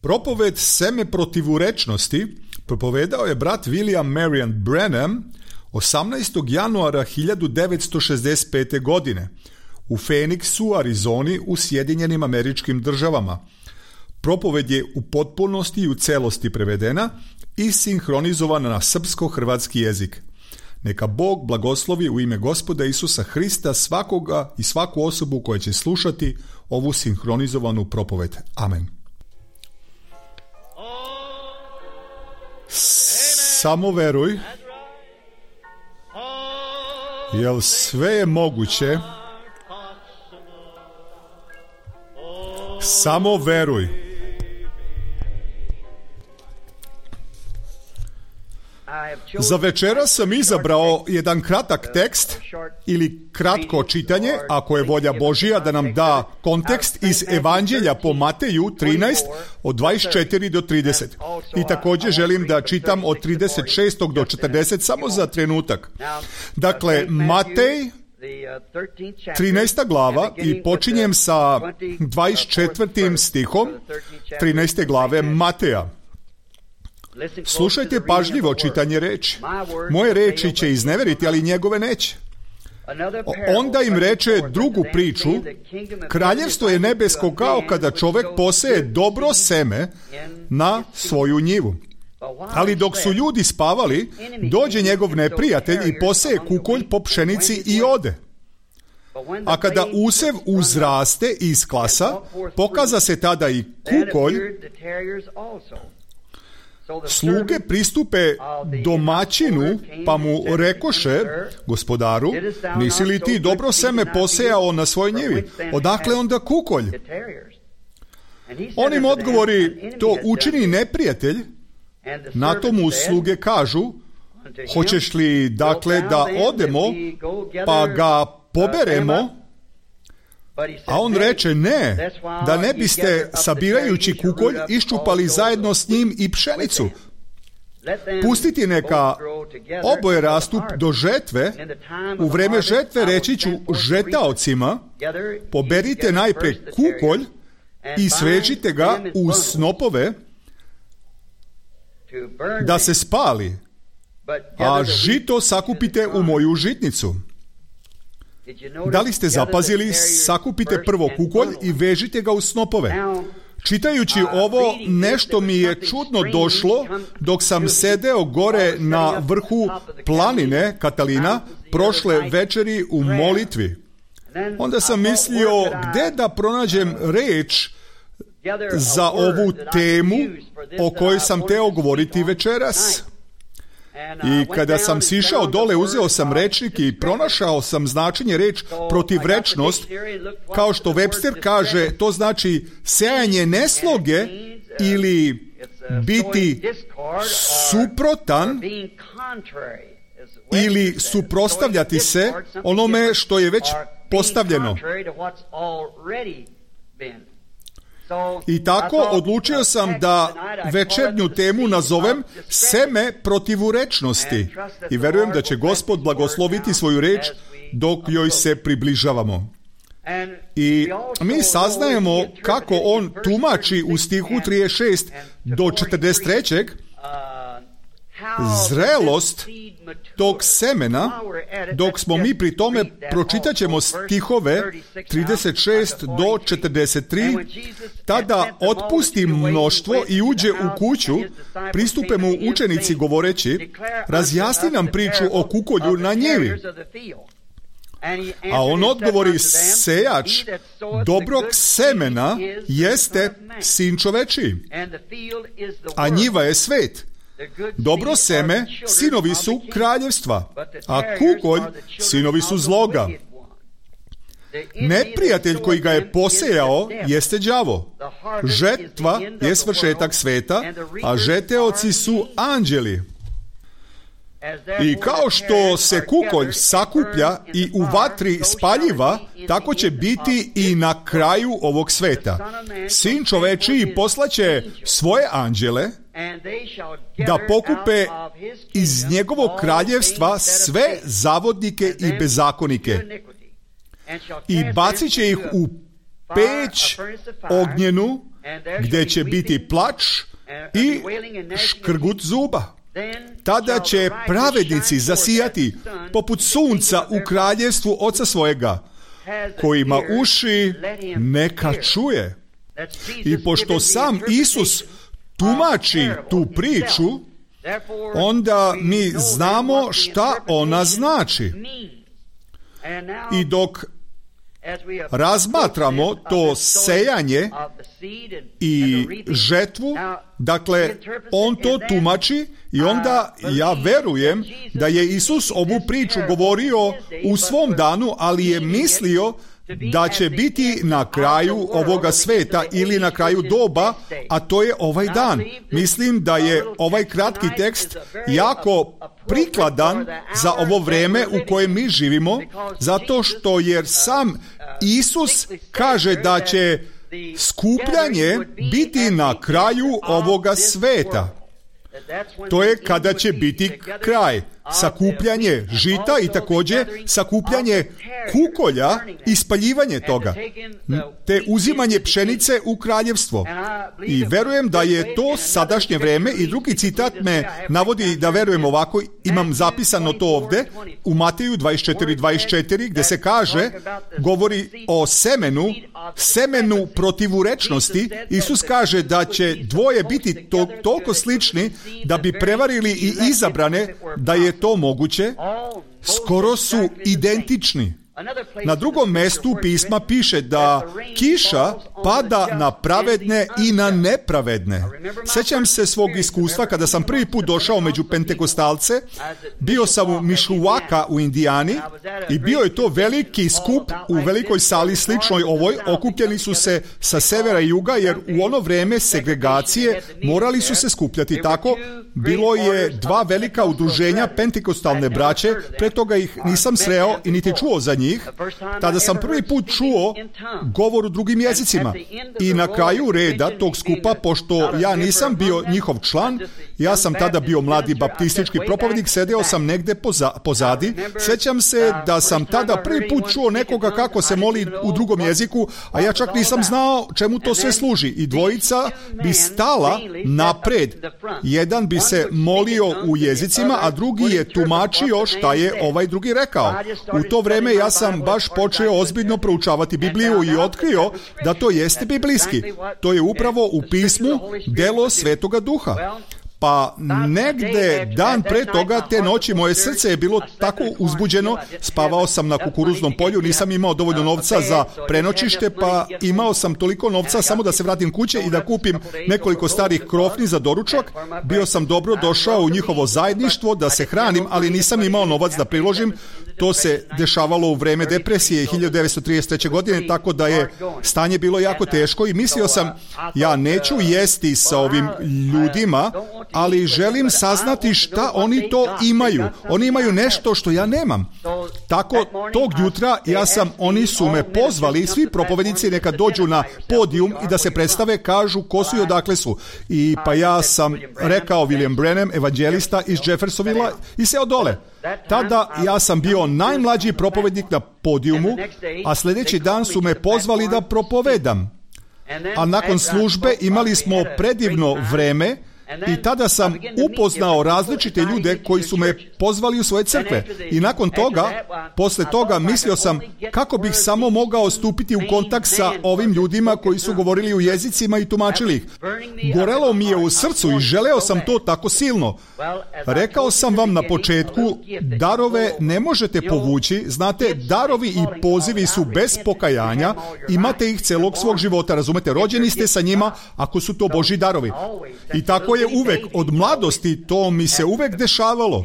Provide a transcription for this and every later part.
Propoved Seme protivurečnosti propovedao je brat William Marion Branham 18. januara 1965. godine u Phoenixu, Arizoni u Sjedinjenim Američkim Državama. Propoved je u potpunosti i u celosti prevedena i sinhronizovana na srpsko-hrvatski jezik. Neka Bog blagoslovi u ime Gospoda Isusa Hrista svakoga i svaku osobu koja će slušati ovu sinhronizovanu propoved. Amen. Samo veruj, jer sve je moguće. Samo veruj. Za večera sam izabrao jedan kratak tekst ili kratko čitanje, ako je volja Božja da nam da kontekst iz Evanđelja po Mateju 13 od 24 do 30. I također želim da čitam od 36 do 40 samo za trenutak. Dakle, Matej 13. glava i počinjem sa 24. stihom 13. glave Mateja. Slušajte pažljivo čitanje reči. Moje reči će izneveriti, ali njegove neće. Onda im reče drugu priču: kraljevstvo je nebesko kao kada čovjek poseje dobro seme na svoju njivu. Ali dok su ljudi spavali, dođe njegov neprijatelj i poseje kukolj po pšenici i ode. A kada usev uzraste i isklasa, pokaza se tada i kukolj. Sluge pristupe domaćinu, pa mu rekoše: gospodaru, nisi li ti dobro seme posejao na svojoj njivi? Odakle onda kukolj? On im odgovori: to učini neprijatelj. Na to mu sluge kažu: hoćeš li dakle da odemo pa ga poberemo? A on reče: ne, da ne biste sabirajući kukolj iščupali zajedno s njim i pšenicu. Pustiti neka oboje rastu do žetve. U vreme žetve reći ću žetaocima: poberite najpre kukolj i svežite ga u snopove da se spali, a žito sakupite u moju žitnicu. Da li ste zapazili? Sakupite prvo kukolj i vežite ga u snopove. Čitajući ovo, nešto mi je čudno došlo dok sam sedeo gore na vrhu planine Katalina prošle večeri u molitvi. Onda sam mislio, gdje da pronađem reč za ovu temu o kojoj sam teo govoriti večeras. I kada sam sišao dole, uzeo sam rečnik i pronašao sam značenje reč protivrečnost. Kao što Webster kaže, to znači sejanje nesloge ili biti suprotan ili suprotstavljati se onome što je već postavljeno. I tako odlučio sam da večernju temu nazovem seme protivurečnosti. I verujem da će Gospod blagosloviti svoju reč dok joj se približavamo. I mi saznajemo kako on tumači u stihu 36 do 43. zrelost tog semena. Dok smo mi pri tome, pročitat ćemo stihove 36 do 43. Tada otpusti mnoštvo i uđe u kuću, pristupe mu učenici govoreći: razjasni nam priču o kukolju na njivi. A on odgovori: sejač dobrog semena jeste sin čovečiji, a njiva je svet. Dobro seme sinovi su kraljevstva, a kukolj sinovi su zloga. Neprijatelj koji ga je posejao jeste đavo. Žetva je svršetak sveta, a žeteoci su anđeli. I kao što se kukolj sakuplja i u vatri spaljiva, tako će biti i na kraju ovog sveta. Sin čovečiji poslaće svoje anđele da pokupe iz njegovog kraljevstva sve zavodnike i bezakonike i bacit će ih u peć ognjenu gdje će biti plač i škrgut zuba. Tada će pravednici zasijati poput sunca u kraljevstvu Oca svojega. Ko ima uši, neka čuje. I pošto sam Isus tumači tu priču, onda mi znamo šta ona znači. I dok razmatramo to sejanje i žetvu, dakle, on to tumači i onda ja verujem da je Isus ovu priču govorio u svom danu, ali je mislio da će biti na kraju ovoga sveta ili na kraju doba, a to je ovaj dan. Mislim da je ovaj kratki tekst jako prikladan za ovo vrijeme u kojem mi živimo, zato što jer sam Isus kaže da će skupljanje biti na kraju ovoga sveta. To je kada će biti kraj. Sakupljanje žita i također sakupljanje kukolja i spaljivanje toga, te uzimanje pšenice u kraljevstvo. I verujem da je to sadašnje vrijeme. I drugi citat me navodi da verujem ovako, imam zapisano to ovdje u Mateju 24:24 gdje se kaže, govori o semenu protivurečnosti. Isus kaže da će dvoje biti toliko slični da bi prevarili i izabrane, da je to moguće, skoro su identični. Na drugom mjestu pisma piše da kiša pada na pravedne i na nepravedne. Sjećam se svog iskustva kada sam prvi put došao među pentekostalce. Bio sam u Mishawaka u Indijani i bio je to veliki skup u velikoj sali sličnoj ovoj. Okupljeni su se sa severa i juga, jer u ono vrijeme segregacije morali su se skupljati tako. Bilo je dva velika udruženja pentekostalne braće, pre toga ih nisam sreo i niti čuo za njih. Tada sam prvi put čuo govor u drugim jezicima. I na kraju reda tog skupa, pošto ja nisam bio njihov član, ja sam tada bio mladi baptistički propovednik, sedeo sam negde pozadi. Sjećam se da sam tada prvi put čuo nekoga kako se moli u drugom jeziku, a ja čak nisam znao čemu to sve služi. I dvojica bi stala napred. Jedan bi se molio u jezicima, a drugi je tumačio šta je ovaj drugi rekao. U to vrijeme ja sam baš počeo ozbiljno proučavati Bibliju i otkrio da to jeste biblijski. To je upravo u pismu delo Svetoga Duha. Pa negde dan pre toga, te noći, moje srce je bilo tako uzbuđeno, spavao sam na kukuruznom polju, nisam imao dovoljno novca za prenoćište, pa imao sam toliko novca samo da se vratim kuće i da kupim nekoliko starih krofni za doručak. Bio sam dobro došao u njihovo zajedništvo da se hranim, ali nisam imao novac da priložim. To se dešavalo u vreme depresije 1933. godine, tako da je stanje bilo jako teško i mislio sam, ja neću jesti sa ovim ljudima, ali želim saznati šta oni to imaju. Oni imaju nešto što ja nemam. Tako, tog jutra oni su me pozvali, svi propovednici neka dođu na podijum i da se predstave, kažu ko su i odakle su. I pa ja sam rekao William Branham, evanđelista iz Jeffersonvilla, i seo dole. Tada ja sam bio najmlađi propovednik na podijumu, a sljedeći dan su me pozvali da propovedam. A nakon službe imali smo predivno vreme i tada sam upoznao različite ljude koji su me pozvali u svoje crkve. I nakon toga, posle toga, mislio sam kako bih samo mogao stupiti u kontakt sa ovim ljudima koji su govorili u jezicima i tumačili ih. Gorelo mi je u srcu i želeo sam to tako silno. Rekao sam vam na početku, darove ne možete povući. Znate, darovi i pozivi su bez pokajanja. Imate ih celog svog života, razumete? Rođeni ste sa njima ako su to Božji darovi. I tako je uvek, od mladosti, to mi se uvek dešavalo.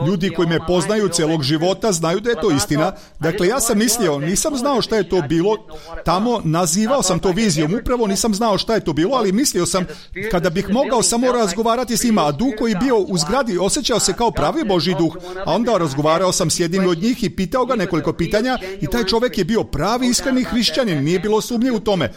Ljudi koji me poznaju celog života znaju da je to istina. Dakle, ja sam mislio, nisam znao šta je to bilo tamo, nazivao sam to vizijom, upravo nisam znao šta je to bilo, ali mislio sam kada bih mogao samo razgovarati s njima, a duh koji bio u zgradi osjećao se kao pravi Božji duh, a onda razgovarao sam s jednim od njih i pitao ga nekoliko pitanja i taj čovjek je bio pravi iskreni hrišćanin, nije bilo sumnje u tome.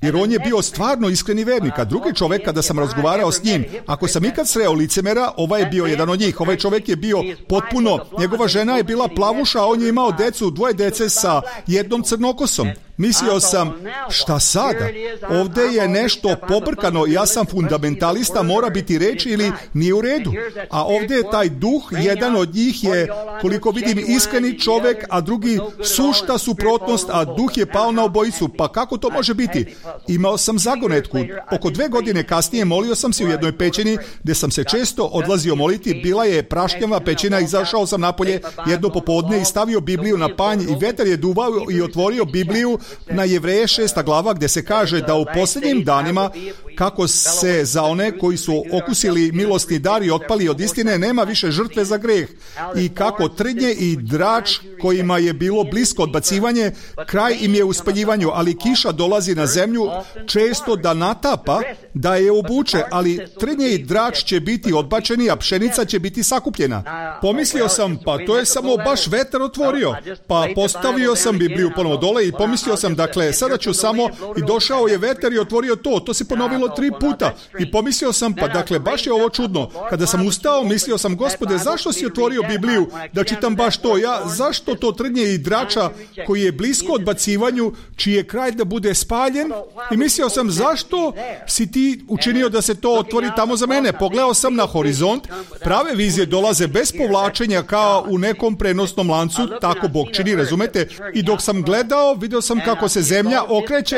Jer on je bio stvarno iskreni vernik, a drugi čovjek, kada sam razgovarao s njim, ako sam ikad sreo licemera, ovaj je bio jedan od njih. Ovaj čovjek je bio potpuno, njegova žena je bila plavuša, a on je imao decu, 2 dece sa jednom crnokosom. Mislio sam, šta sada? Ovdje je nešto pobrkano, ja sam fundamentalista, mora biti reč ili nije u redu. A ovdje je taj duh, jedan od njih je, koliko vidim, iskreni čovjek, a drugi sušta suprotnost, a duh je pao na obojicu. Pa kako to može biti? Imao sam zagonetku. Oko 2 godine kasnije molio sam se u jednoj pećini gdje sam se često odlazio moliti. Bila je prašnjava pećina, izašao sam napolje jedno popodne i stavio Bibliju na panj i vetar je duvao i otvorio Bibliju na Jevreje 6. glava gdje se kaže da u posljednjim danima kako se za one koji su okusili milosni dar i otpali od istine nema više žrtve za greh i kako trnje i drač kojima je bilo blisko odbacivanje, kraj im je u spaljivanju, ali kiša dolazi na zemlju često da natapa, da je obuče, ali trnje i drač će biti odbačeni, a pšenica će biti sakupljena. Pomislio sam, pa to je samo baš vetar otvorio. Pa postavio sam Bibliju ponovo dole i pomislio sam, dakle, sada ću samo, i došao je vetar i otvorio to. To se ponovilo 3 puta. I pomislio sam, pa dakle, baš je ovo čudno. Kada sam ustao, mislio sam, Gospode, zašto si otvorio Bibliju da čitam baš to? Zašto to trnje i drača koji je blisko odbacivanju, čiji je kraj da bude spaljen? I mislio sam, zašto si ti učinio da se to otvori tamo za mene? Pogledao sam na horizont, prave vizije dolaze bez povlačenja kao u nekom prenosnom lancu, tako Bog čini, razumete? I dok sam gledao, vidio sam kako se zemlja okreće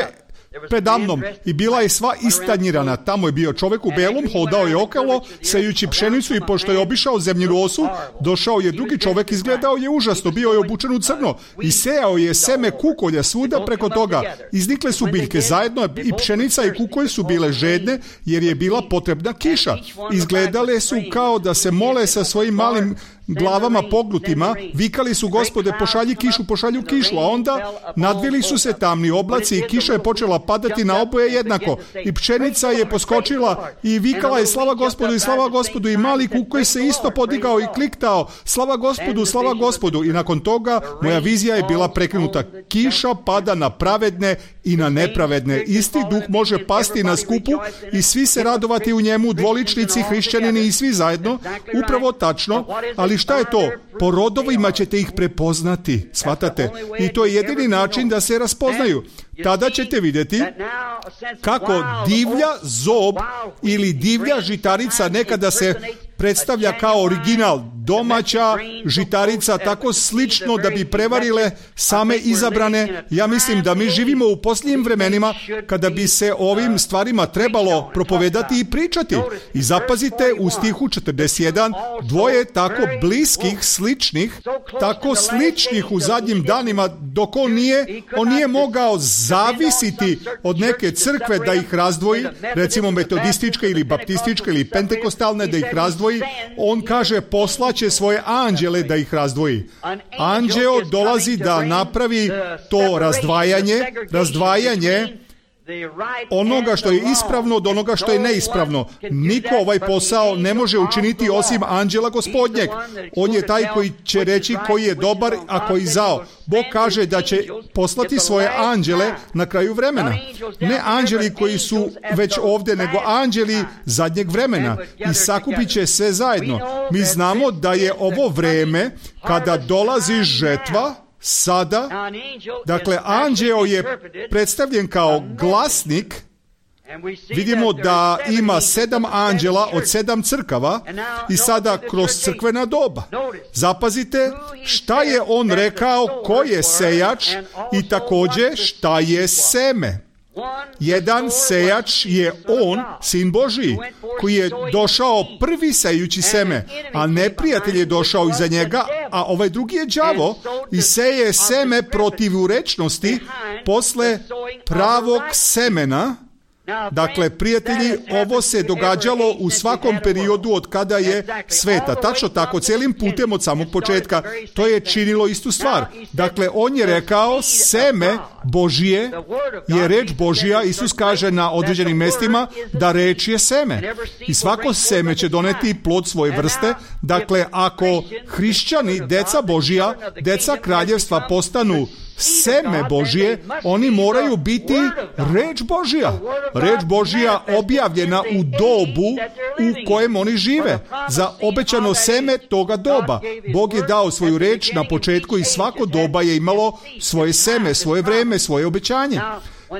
predamnom i bila je sva istanjirana. Tamo je bio čovjek u belom, hodao je okolo, sejući pšenicu i pošto je obišao zemlju osu, došao je drugi čovjek, izgledao je užasno, bio je obučen u crno i sejao je seme kukolja svuda preko toga. Iznikle su biljke zajedno i pšenica i kukolj su bile žedne jer je bila potrebna kiša. Izgledale su kao da se mole sa svojim malim glavama pognutima, vikali su, Gospode, pošalju kišu, a onda nadvili su se tamni oblaci i kiša je počela padati na oboje jednako i pšenica je poskočila i vikala je slava Gospodu i mali kukolj se isto podigao i kliktao slava Gospodu i nakon toga moja vizija je bila prekinuta. Kiša pada na pravedne i na nepravedne. Isti duh može pasti na skupu i svi se radovati u njemu, dvoličnici, hrišćanini i svi zajedno. Upravo tačno, ali šta je to? Po rodovima ćete ih prepoznati, shvatate? I to je jedini način da se raspoznaju. Tada ćete vidjeti kako divlja zob ili divlja žitarica nekada se predstavlja kao original, domaća žitarica, tako slično da bi prevarile same izabrane. Ja mislim da mi živimo u posljednjim vremenima kada bi se ovim stvarima trebalo propovedati i pričati. I zapazite u stihu 41, dvoje tako bliskih, sličnih, tako sličnih u zadnjim danima, dok on nije mogao zavisiti od neke crkve da ih razdvoji, recimo metodističke ili baptističke ili pentekostalne da ih razdvoji. On kaže, poslaće svoje anđele da ih razdvoji. Anđeo dolazi da napravi to razdvajanje onoga što je ispravno od onoga što je neispravno. Niko ovaj posao ne može učiniti osim anđela Gospodnjeg. On je taj koji će reći koji je dobar, a koji zao. Bog kaže da će poslati svoje anđele na kraju vremena. Ne anđeli koji su već ovdje, nego anđeli zadnjeg vremena. I sakupit će sve zajedno. Mi znamo da je ovo vreme kada dolazi žetva, sada, dakle, anđeo je predstavljen kao glasnik. Vidimo da ima 7 anđela od 7 crkava i sada kroz crkvena doba. Zapazite šta je on rekao, ko je sejač i također šta je seme. Jedan sejač je on, Sin Božiji, koji je došao prvi sejući seme, a neprijatelj je došao iza njega, a ovaj drugi je đavo i seje seme protivurečnosti posle pravog semena. Dakle, prijatelji, ovo se događalo u svakom periodu od kada je sveta. Tačno tako, cijelim putem od samog početka. To je činilo istu stvar. Dakle, on je rekao, seme Božije je reč Božija. Isus kaže na određenim mjestima da reč je seme. I svako seme će doneti plod svoje vrste. Dakle, ako hrišćani, deca Božija, deca kraljevstva postanu seme Božje, oni moraju biti reč Božja. Reč Božja objavljena u dobu u kojem oni žive. Za obećano seme toga doba. Bog je dao svoju reč na početku i svako doba je imalo svoje seme, svoje vreme, svoje obećanje.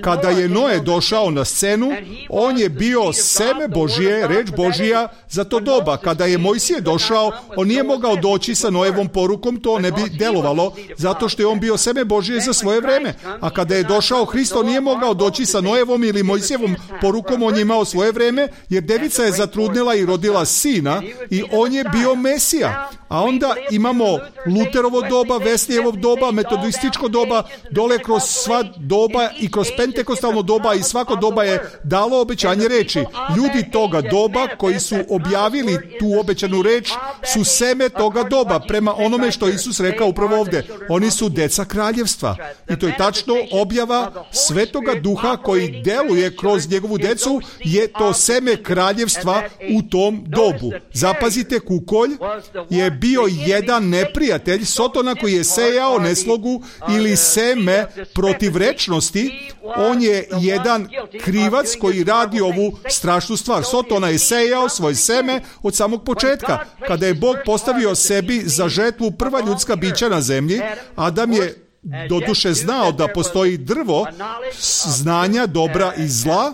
Kada je Noe došao na scenu, on je bio seme Božje, reč Božja za to doba. Kada je Mojsije došao, on nije mogao doći sa Noevom porukom, to ne bi delovalo, zato što je on bio seme Božje za svoje vreme. A kada je došao Hrist, on nije mogao doći sa Noevom ili Mojsijevom porukom, on je imao svoje vreme, jer devica je zatrudnila i rodila sina i on je bio Mesija. A onda imamo Luterovo doba, Veslijevo doba, metodističko doba, dole kroz sva doba i kroz pentekostalno doba i svako doba je dalo obećanje reči. Ljudi toga doba koji su objavili tu obećanu reč su seme toga doba, prema onome što Isus rekao upravo ovdje. Oni su deca kraljevstva. I to je tačno objava Svetoga Duha koji deluje kroz njegovu decu, je to seme kraljevstva u tom dobu. Zapazite, kukolj je bio jedan neprijatelj, Sotona, koji je sejao neslogu ili seme protivrečnosti. On je jedan krivac koji radi ovu strašnu stvar. Sotona je sejao svoje seme od samog početka. Kada je Bog postavio sebi za žetvu prva ljudska bića na zemlji, Adam je doduše znao da postoji drvo znanja dobra i zla,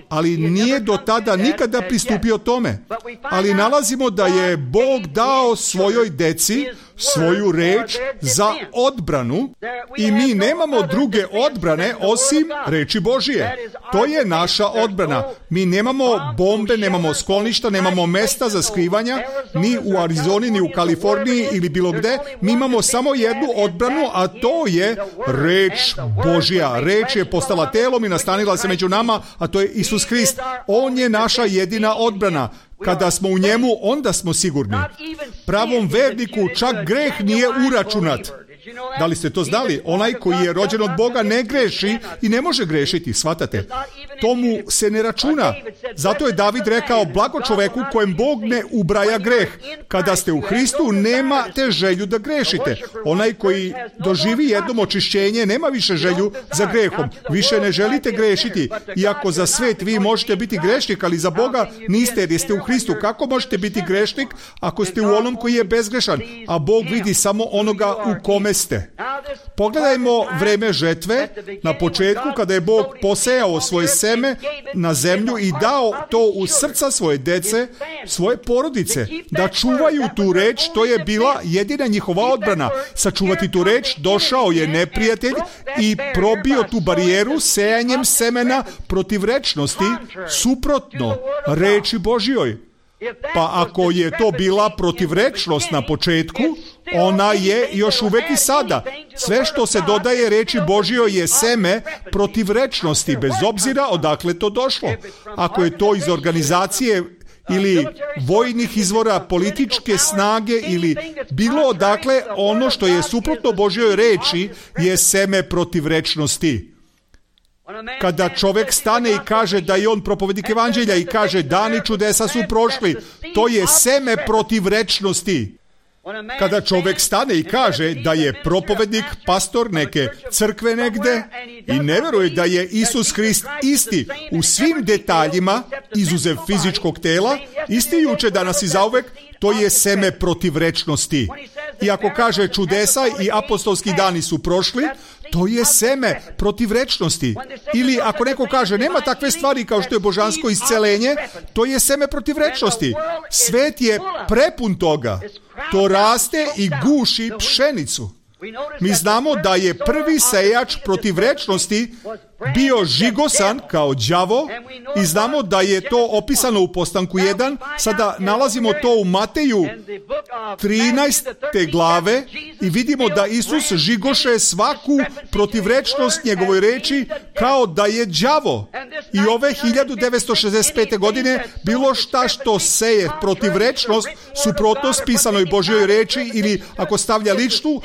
ali nije do tada nikada pristupio tome. Ali nalazimo da je Bog dao svojoj deci svoju reč za odbranu i mi nemamo druge odbrane osim reči Božije. To je naša odbrana. Mi nemamo bombe, nemamo skloništa, nemamo mesta za skrivanja, ni u Arizoni, ni u Kaliforniji ili bilo gde. Mi imamo samo jednu odbranu, a to je reč Božja. Reč je postala telom i nastanila se među nama, a to je Isus Hrist. On je naša jedina odbrana. Kada smo u njemu, onda smo sigurni. Pravom verniku čak greh nije uračunat. Da li ste to znali? Onaj koji je rođen od Boga ne greši i ne može grešiti, shvatate? To mu se ne računa. Zato je David rekao, blago čoveku kojem Bog ne ubraja greh. Kada ste u Hristu, nemate želju da grešite. Onaj koji doživi jednom očišćenje, nema više želju za grehom. Više ne želite grešiti. Iako za svet vi možete biti grešnik, ali za Boga niste, jer jeste u Hristu. Kako možete biti grešnik ako ste u onom koji je bezgrešan? A Bog vidi samo onoga u kome ste. Pogledajmo vreme žetve na početku, kada je Bog posejao svoje seme na zemlju i dao to u srca svoje dece, svoje porodice, da čuvaju tu reč. To je bila jedina njihova odbrana. Sačuvati tu reč, došao je neprijatelj i probio tu barijeru sejanjem semena protivrečnosti, suprotno reči Božjoj. Pa ako je to bila protivrečnost na početku, ona je još uvek i sada. Sve što se dodaje reči Božjoj je seme protivrečnosti, bez obzira odakle to došlo. Ako je to iz organizacije ili vojnih izvora, političke snage ili bilo odakle, ono što je suprotno Božjoj reči je seme protivrečnosti. Kada čovjek stane i kaže da je on propovednik evanđelja i kaže dani čudesa su prošli, to je seme protivrečnosti. Kada čovjek stane i kaže da je propovednik, pastor neke crkve negde i ne veruje da je Isus Hrist isti u svim detaljima, izuzev fizičkog tela, isti juče, danas i zauvek, to je seme protivrečnosti. I ako kaže čudesa i apostolski dani su prošli, to je seme protivrečnosti. Ili ako neko kaže nema takve stvari kao što je božansko iscelenje, to je seme protivrečnosti. Svet je prepun toga. To raste i guši pšenicu. Mi znamo da je prvi sejač protivrečnosti bio žigosan kao đavo i znamo da je to opisano u Postanku 1. Sada nalazimo to u Mateju 13. glave i vidimo da Isus žigoše svaku protivrečnost njegovoj reči kao da je đavo. I ove 1965. godine bilo šta što seje protivrečnost, suprotnost pisanoj Božjoj reči ili ako stavlja ličnu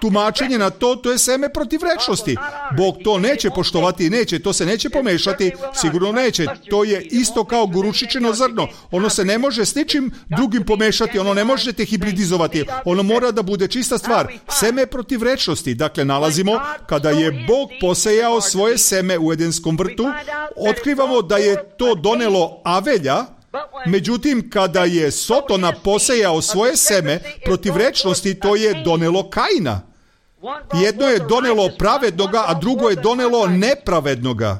tumačenje na to, to je seme protivrečnosti. Bog to neće poštovati hibridizovatii, neće, to se neće pomešati, sigurno neće. To je isto kao gorušičino zrno. Ono se ne može s ničim drugim pomešati, ono ne možete hibridizovati. Ono mora da bude čista stvar. Seme protivrečnosti. Dakle, nalazimo kada je Bog posejao svoje seme u Edenskom vrtu, otkrivamo da je to donelo Avelja. Međutim, kada je Sotona posejao svoje seme protivrečnosti, to je donelo Kaina. Jedno je donelo pravednoga, a drugo je donelo nepravednoga.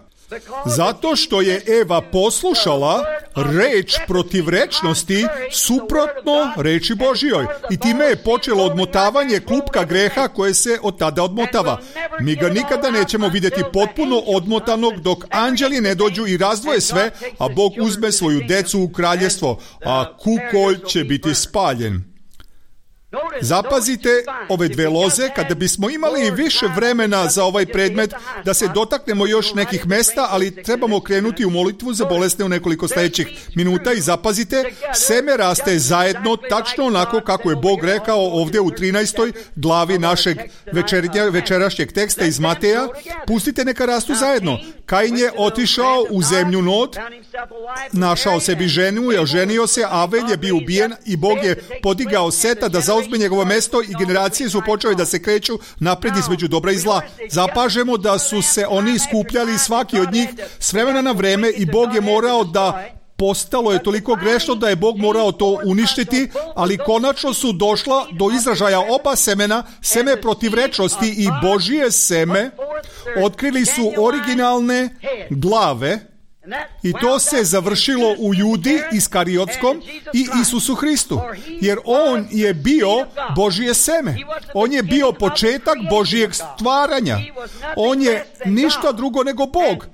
Zato što je Eva poslušala reč protivrečnosti suprotno reči Božjoj. I time je počelo odmotavanje klupka greha koje se od tada odmotava. Mi ga nikada nećemo vidjeti potpuno odmotanog dok anđeli ne dođu i razdvoje sve, a Bog uzme svoju decu u kraljestvo, a kukolj će biti spaljen. Zapazite ove dve loze, kada bismo imali više vremena za ovaj predmet, da se dotaknemo još nekih mesta, ali trebamo krenuti u molitvu za bolesne u nekoliko sljedećih minuta i zapazite, seme raste zajedno, tačno onako kako je Bog rekao ovdje u 13. glavi našeg večerašnjeg teksta iz Mateja. Pustite neka rastu zajedno. Kain je otišao u zemlju Nod, našao sebi ženu i oženio se, Avel je bio ubijen i Bog je podigao Seta da zauzme njegovo mesto i generacije su počele da se kreću napred između dobra i zla. Zapažemo da su se oni skupljali svaki od njih s vremena na vreme i Bog je morao da postalo je toliko grešno da je Bog morao to uništiti, ali konačno su došla do izražaja oba semena, seme protivrečnosti i Božije seme, otkrili su originalne glave. I to se završilo u Judi Iskariotskom i Isusu Hristu. Jer on je bio Božje seme. On je bio početak Božijeg stvaranja. On je ništa drugo nego Bog.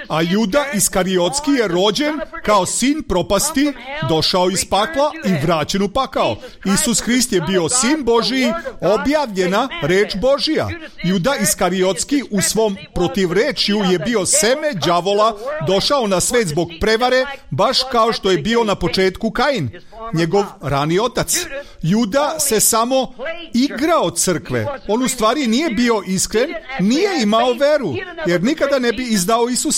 A Juda Iskariotski je rođen kao sin propasti, došao iz pakla i vraćen u pakao. Isus Hrist je bio sin Božiji, objavljena reč Božija. Juda Iskariotski u svom protivrečju je bio seme đavola, došao na svet zbog prevare, baš kao što je bio na početku Kain, njegov rani otac. Juda se samo igrao crkve. On u stvari nije bio iskren, nije imao veru, jer nikada ne bi izdao Isusa.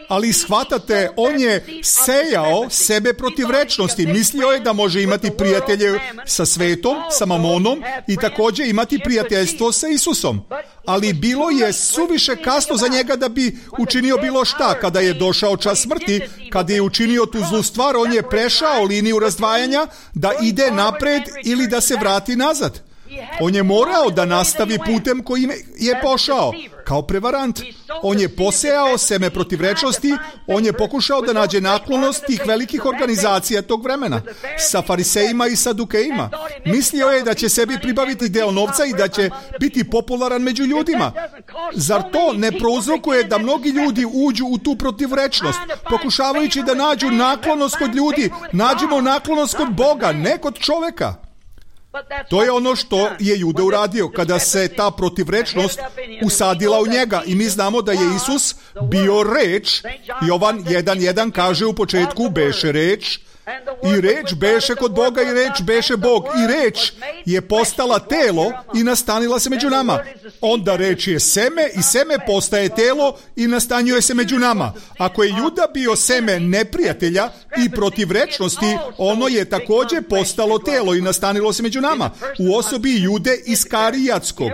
Ali shvatate, on je sejao sebe protivrečnosti. Mislio je da može imati prijatelje sa svetom, sa mamonom i također imati prijateljstvo sa Isusom. Ali bilo je suviše kasno za njega da bi učinio bilo šta. Kada je došao čas smrti, kada je učinio tu zlu stvar, on je prešao liniju razdvajanja da ide napred ili da se vrati nazad. On je morao da nastavi putem kojim je pošao, kao prevarant. On je posejao seme protivrečnosti, on je pokušao da nađe naklonost tih velikih organizacija tog vremena, sa farisejima i sadukejima. Mislio je da će sebi pribaviti deo novca i da će biti popularan među ljudima. Zar to ne prouzrokuje da mnogi ljudi uđu u tu protivrečnost, pokušavajući da nađu naklonost kod ljudi? Nađimo naklonost kod Boga, ne kod čoveka. To je ono što je Juda uradio kada se ta protivrečnost usadila u njega. I mi znamo da je Isus bio reč. Jovan 1.1 kaže u početku beše reč. I reč beše kod Boga i reč beše Bog. I reč je postala telo i nastanila se među nama. Onda reč je seme i seme postaje telo i nastanjuje se među nama. Ako je Juda bio seme neprijatelja i protivrečnosti, ono je također postalo telo i nastanilo se među nama. U osobi Jude Iskarijatskog.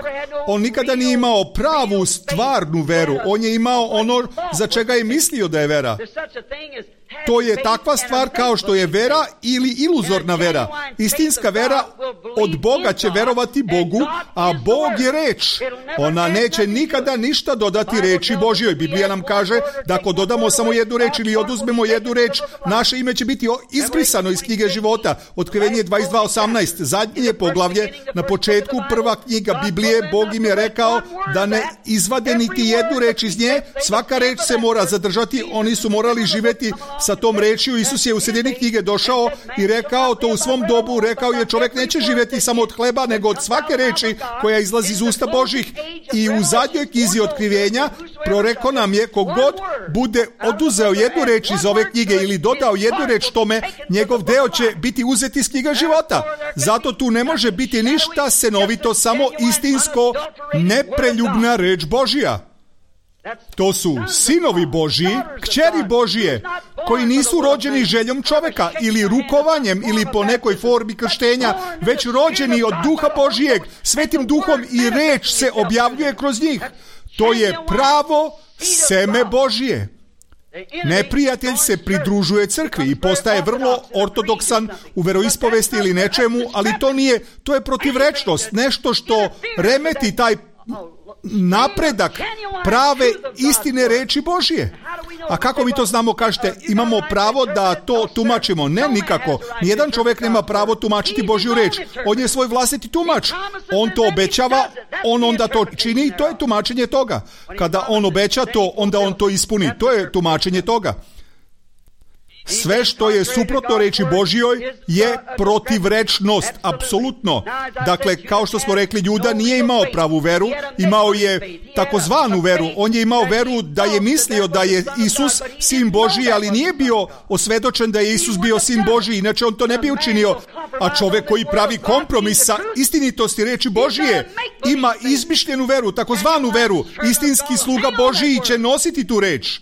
On nikada nije imao pravu, stvarnu veru. On je imao ono za čega je mislio da je vera. To je takva stvar kao što je vera ili iluzorna vera. Istinska vera od Boga će verovati Bogu, a Bog je reč. Ona neće nikada ništa dodati reči Božjoj. Biblija nam kaže da ako dodamo samo jednu reč ili oduzmemo jednu reč, naše ime će biti izbrisano iz knjige života. Otkrivenje 22.18. Zadnje poglavlje, na početku prva knjiga Biblije, Bog im je rekao da ne izvade niti jednu reč iz nje. Svaka reč se mora zadržati. Oni su morali živjeti sa tom rečju. Isus je u sredini knjige došao i rekao to u svom dobu. Rekao je čovjek neće živjeti samo od hleba, nego od svake reči koja izlazi iz usta Božih. I u zadnjoj knjizi Otkrivenja proreko nam je kogod bude oduzeo jednu reč iz ove knjige ili dodao jednu reč tome, njegov deo će biti uzet iz knjiga života. Zato tu ne može biti ništa senovito, samo istinsko, nepreljubna reč Božja. To su sinovi Božji, kćeri Božije, koji nisu rođeni željom čovjeka ili rukovanjem ili po nekoj formi krštenja, već rođeni od Duha Božijeg, Svetim Duhom, i reč se objavljuje kroz njih. To je pravo seme Božije. Neprijatelj se pridružuje crkvi i postaje vrlo ortodoksan u veroispovesti ili nečemu, ali to je protivrečnost, nešto što remeti taj napredak prave istine reči Božije. A kako mi to znamo, kažete, imamo pravo da to tumačimo? Ne, nikako. Nijedan čovjek nema pravo tumačiti Božju reč. On je svoj vlastiti tumač. On to obećava, on onda to čini i to je tumačenje toga. Kada on obeća to, onda on to ispuni. To je tumačenje toga. Sve što je suprotno reči Božjoj je protivrečnost, apsolutno. Dakle, kao što smo rekli, Juda nije imao pravu veru, imao je takozvanu veru. On je imao veru da je mislio da je Isus sin Božji, ali nije bio osvedočen da je Isus bio sin Božji, inače on to ne bi učinio. A čovjek koji pravi kompromis sa istinitosti reči Božje ima izmišljenu veru, takozvanu veru. Istinski sluga Božji će nositi tu reč.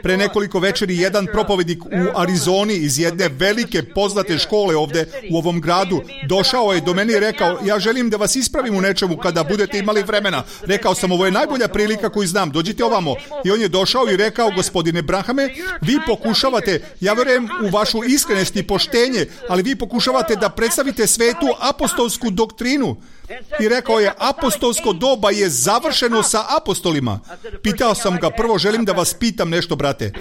Pre nekoliko večeri jedan propovednik u Arizoni iz jedne velike poznate škole ovdje u ovom gradu došao je do mene i rekao: ja želim da vas ispravim u nečemu kada budete imali vremena. Rekao sam: ovo je najbolja prilika koju znam, dođite ovamo. I on je došao i rekao: gospodine Branhame, vi pokušavate, ja vjerujem u vašu iskrenost i poštenje, ali vi pokušavate da predstavite svetu apostolsku doktrinu. I rekao je: apostolsko doba je završeno sa apostolima. Pitao sam ga: prvo želim da vas pitam nešto, brate.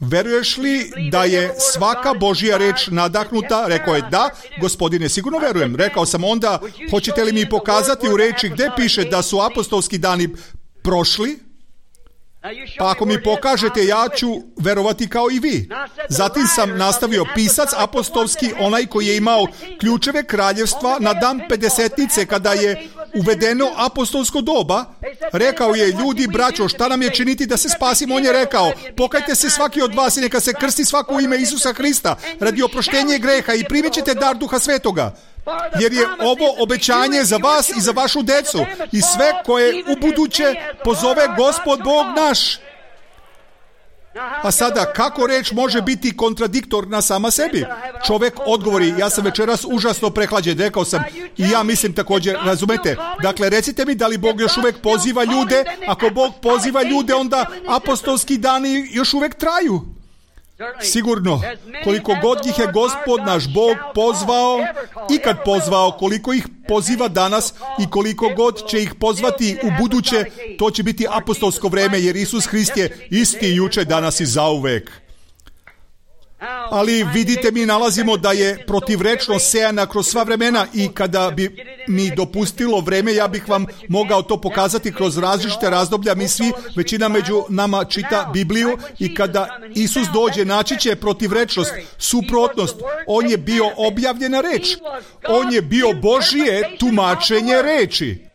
Veruješ li da je svaka Božja reč nadahnuta? Rekao je: da, gospodine, sigurno verujem. Rekao sam: onda hoćete li mi pokazati u reči gdje piše da su apostolski dani prošli? Pa ako mi pokažete, ja ću verovati kao i vi. Zatim sam nastavio: pisac apostolski, onaj koji je imao ključeve kraljevstva na dan Pedesetnice, kada je uvedeno apostolsko doba, rekao je: ljudi, braćo, šta nam je činiti da se spasimo? On je rekao: pokajte se svaki od vas i neka se krsti svako u ime Isusa Hrista radi oproštenja greha i primit ćete dar Duha Svetoga. Jer je ovo obećanje za vas i za vašu decu i sve koje u buduće pozove Gospod Bog naš. A sada, kako reč može biti kontradiktorna sama sebi? Čovjek odgovori: ja sam večeras užasno prehlađen. Rekao sam: i ja mislim također, razumete? Dakle, recite mi, da li Bog još uvijek poziva ljude? Ako Bog poziva ljude, onda apostolski dani još uvijek traju. Sigurno, koliko god ih je Gospod naš Bog pozvao, ikad pozvao, koliko ih poziva danas i koliko god će ih pozvati u buduće, to će biti apostolsko vrijeme, jer Isus Hrist je isti juče, danas i zauvek. Ali vidite, mi nalazimo da je protivrečnost sejana kroz sva vremena i kada bi mi dopustilo vreme, ja bih vam mogao to pokazati kroz različite razdoblja. Mi svi, većina među nama čita Bibliju i kada Isus dođe, naći će protivrečnost, suprotnost. On je bio objavljena reč. On je bio Božje tumačenje reči.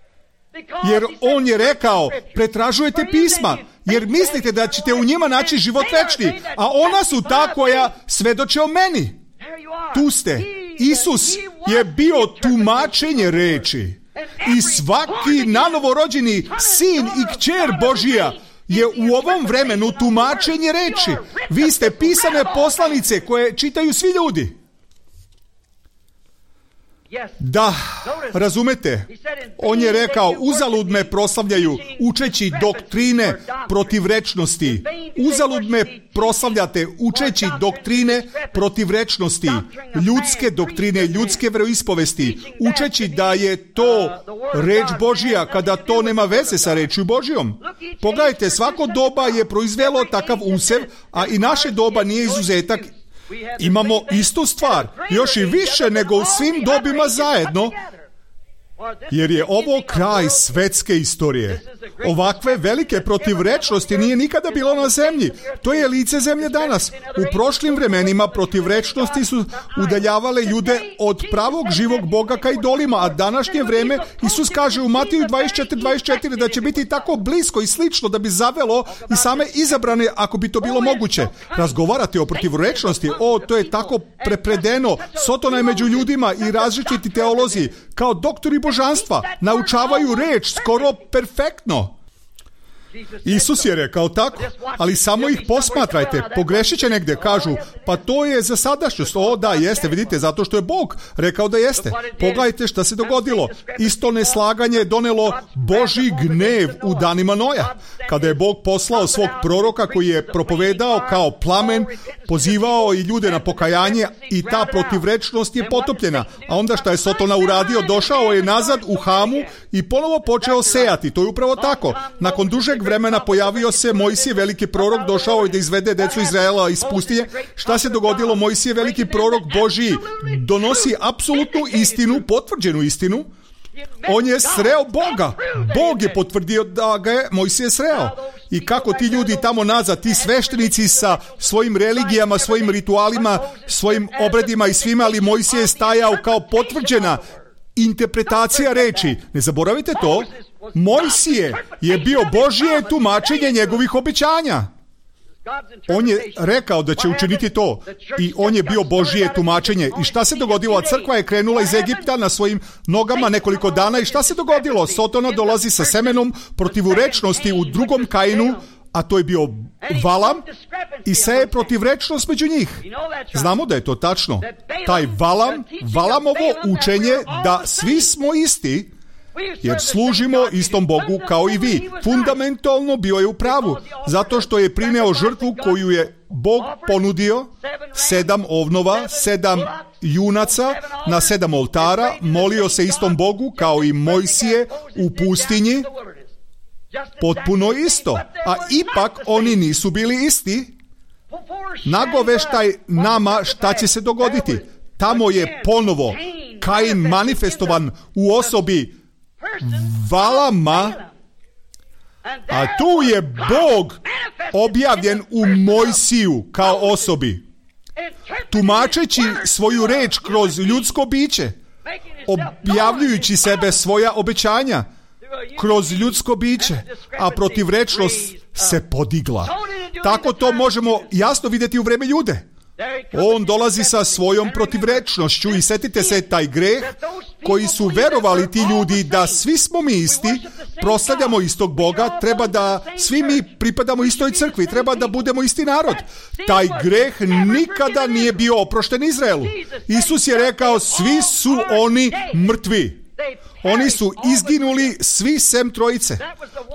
Jer on je rekao: pretražujete pisma, jer mislite da ćete u njima naći život večni, a ona su ta koja svedoče o meni. Tu ste. Isus je bio tumačenje reči. I svaki nanovorođeni sin i kćer Božija je u ovom vremenu tumačenje reči. Vi ste pisane poslanice koje čitaju svi ljudi. Da, razumete, on je rekao: uzalud me proslavljaju učeći doktrine protivrečnosti. Uzalud me proslavljate učeći doktrine protivrečnosti, ljudske doktrine, ljudske veroispovesti, učeći da je to reč Božja kada to nema veze sa rečju Božjom. Pogledajte, svako doba je proizvelo takav usev, a i naše doba nije izuzetak. Imamo istu stvar, još i više nego u svim dobima zajedno, jer je ovo kraj svetske istorije. Ovakve velike protivrečnosti nije nikada bilo na zemlji. To je lice zemlje danas. U prošlim vremenima protivrečnosti su udaljavale ljude od pravog živog Boga ka idolima, a današnje vreme, Isus kaže u Matiju 24 da će biti tako blisko i slično da bi zavelo i same izabrane, ako bi to bilo moguće. Razgovarati o protivrečnosti, to je tako prepredeno. Sotona je među ljudima i različiti teolozi, kao doktori božanstva, naučavaju reč skoro perfektno. Isus je rekao tako, ali samo ih posmatrajte, pogrešit će negdje, kažu, pa to je za sadašnjost. O da, jeste, vidite, zato što je Bog rekao da jeste. Pogledajte šta se dogodilo. Isto neslaganje je donelo Božji gnev u danima Noja, kada je Bog poslao svog proroka koji je propovedao kao plamen, pozivao i ljude na pokajanje i ta protivrečnost je potopljena. A onda šta je Sotona uradio? Došao je nazad u Hamu i ponovo počeo sejati. To je upravo tako. Nakon dužeg vremena pojavio se Mojsije, veliki prorok, došao je da izvede decu Izraela iz pustinje. Šta se dogodilo? Mojsije, veliki prorok Božji, donosi apsolutnu istinu, potvrđenu istinu. On je sreo Boga. Bog je potvrdio da ga je Mojsije sreo. I kako ti ljudi tamo nazad, ti sveštenici sa svojim religijama, svojim ritualima, svojim obredima i svima, ali Mojsije je stajao kao potvrđena interpretacija reči. Ne zaboravite to. Mojsije je bio Božje tumačenje njegovih obećanja. On je rekao da će učiniti to i on je bio Božje tumačenje. I šta se dogodilo? Crkva je krenula iz Egipta na svojim nogama nekoliko dana i šta se dogodilo? Sotona dolazi sa semenom protivrečnosti u drugom Kainu, a to je bio Valam, i seje protivrečnost među njih. Znamo da je to tačno. Taj Valamovo učenje da svi smo isti, jer služimo istom Bogu kao i vi. Fundamentalno bio je u pravu, zato što je prineo žrtvu koju je Bog ponudio, 7 ovnova, 7 junaca na 7 oltara, molio se istom Bogu kao i Mojsije u pustinji, potpuno isto. A ipak oni nisu bili isti. Nagoveštaj nama šta će se dogoditi. Tamo je ponovo Kain manifestovan u osobi Valama, a tu je Bog objavljen u Mojsiju kao osobi, tumačeći svoju reč kroz ljudsko biće, objavljujući sebe svoja obećanja kroz ljudsko biće, a protivrečnost se podigla. Tako to možemo jasno vidjeti u vreme Jude. On dolazi sa svojom protivrečnošću i setite se taj greh koji su verovali ti ljudi da svi smo mi isti, proslavljamo istog Boga, treba da svi mi pripadamo istoj crkvi, treba da budemo isti narod. Taj greh nikada nije bio oprošten Izraelu. Isus je rekao, svi su oni mrtvi. Oni su izginuli svi sem trojice.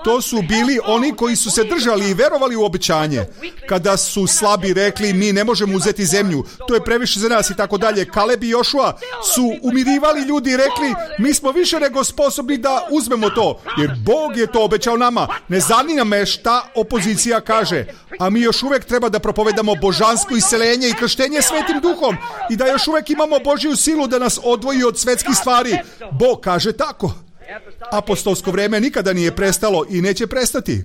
To su bili oni koji su se držali i verovali u obećanje. Kada su slabi rekli, mi ne možemo uzeti zemlju, to je previše za nas i tako dalje. Kaleb i Jošua su umirivali ljudi i rekli, mi smo više nego sposobni da uzmemo to, jer Bog je to obećao nama. Ne zanima me šta opozicija kaže, a mi još uvijek treba da propovedamo božansko isceljenje i krštenje Svetim Duhom i da još uvijek imamo Božju silu da nas odvoji od svetskih stvari. Bog kaže tako. Apostolsko vrijeme nikada nije prestalo i neće prestati.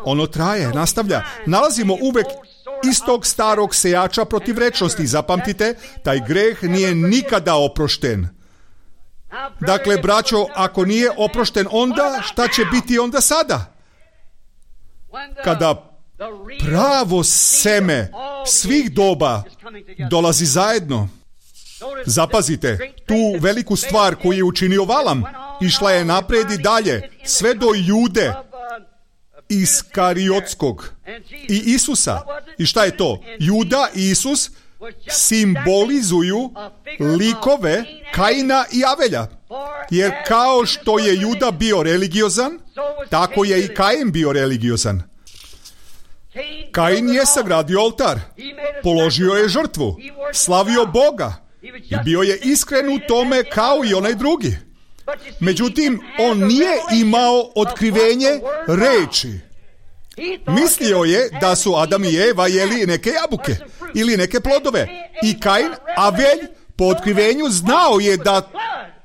Ono traje, nastavlja. Nalazimo uvek istog starog sejača protivrečnosti. Zapamtite, taj greh nije nikada oprošten. Dakle, braćo, ako nije oprošten onda, šta će biti onda sada? Kada pravo seme svih doba dolazi zajedno. Zapazite, tu veliku stvar koju je učinio Valam, išla je napred i dalje, sve do Jude Iskariotskog i Isusa. I šta je to? Juda i Isus simbolizuju likove Kaina i Avelja. Jer kao što je Juda bio religiozan, tako je i Kain bio religiozan. Kain je sagradio oltar, položio je žrtvu, slavio Boga i bio je iskren u tome kao i onaj drugi. Međutim, on nije imao otkrivenje reči. Mislio je da su Adam i Eva jeli neke jabuke ili neke plodove. I Kain, Avelj, po otkrivenju znao je da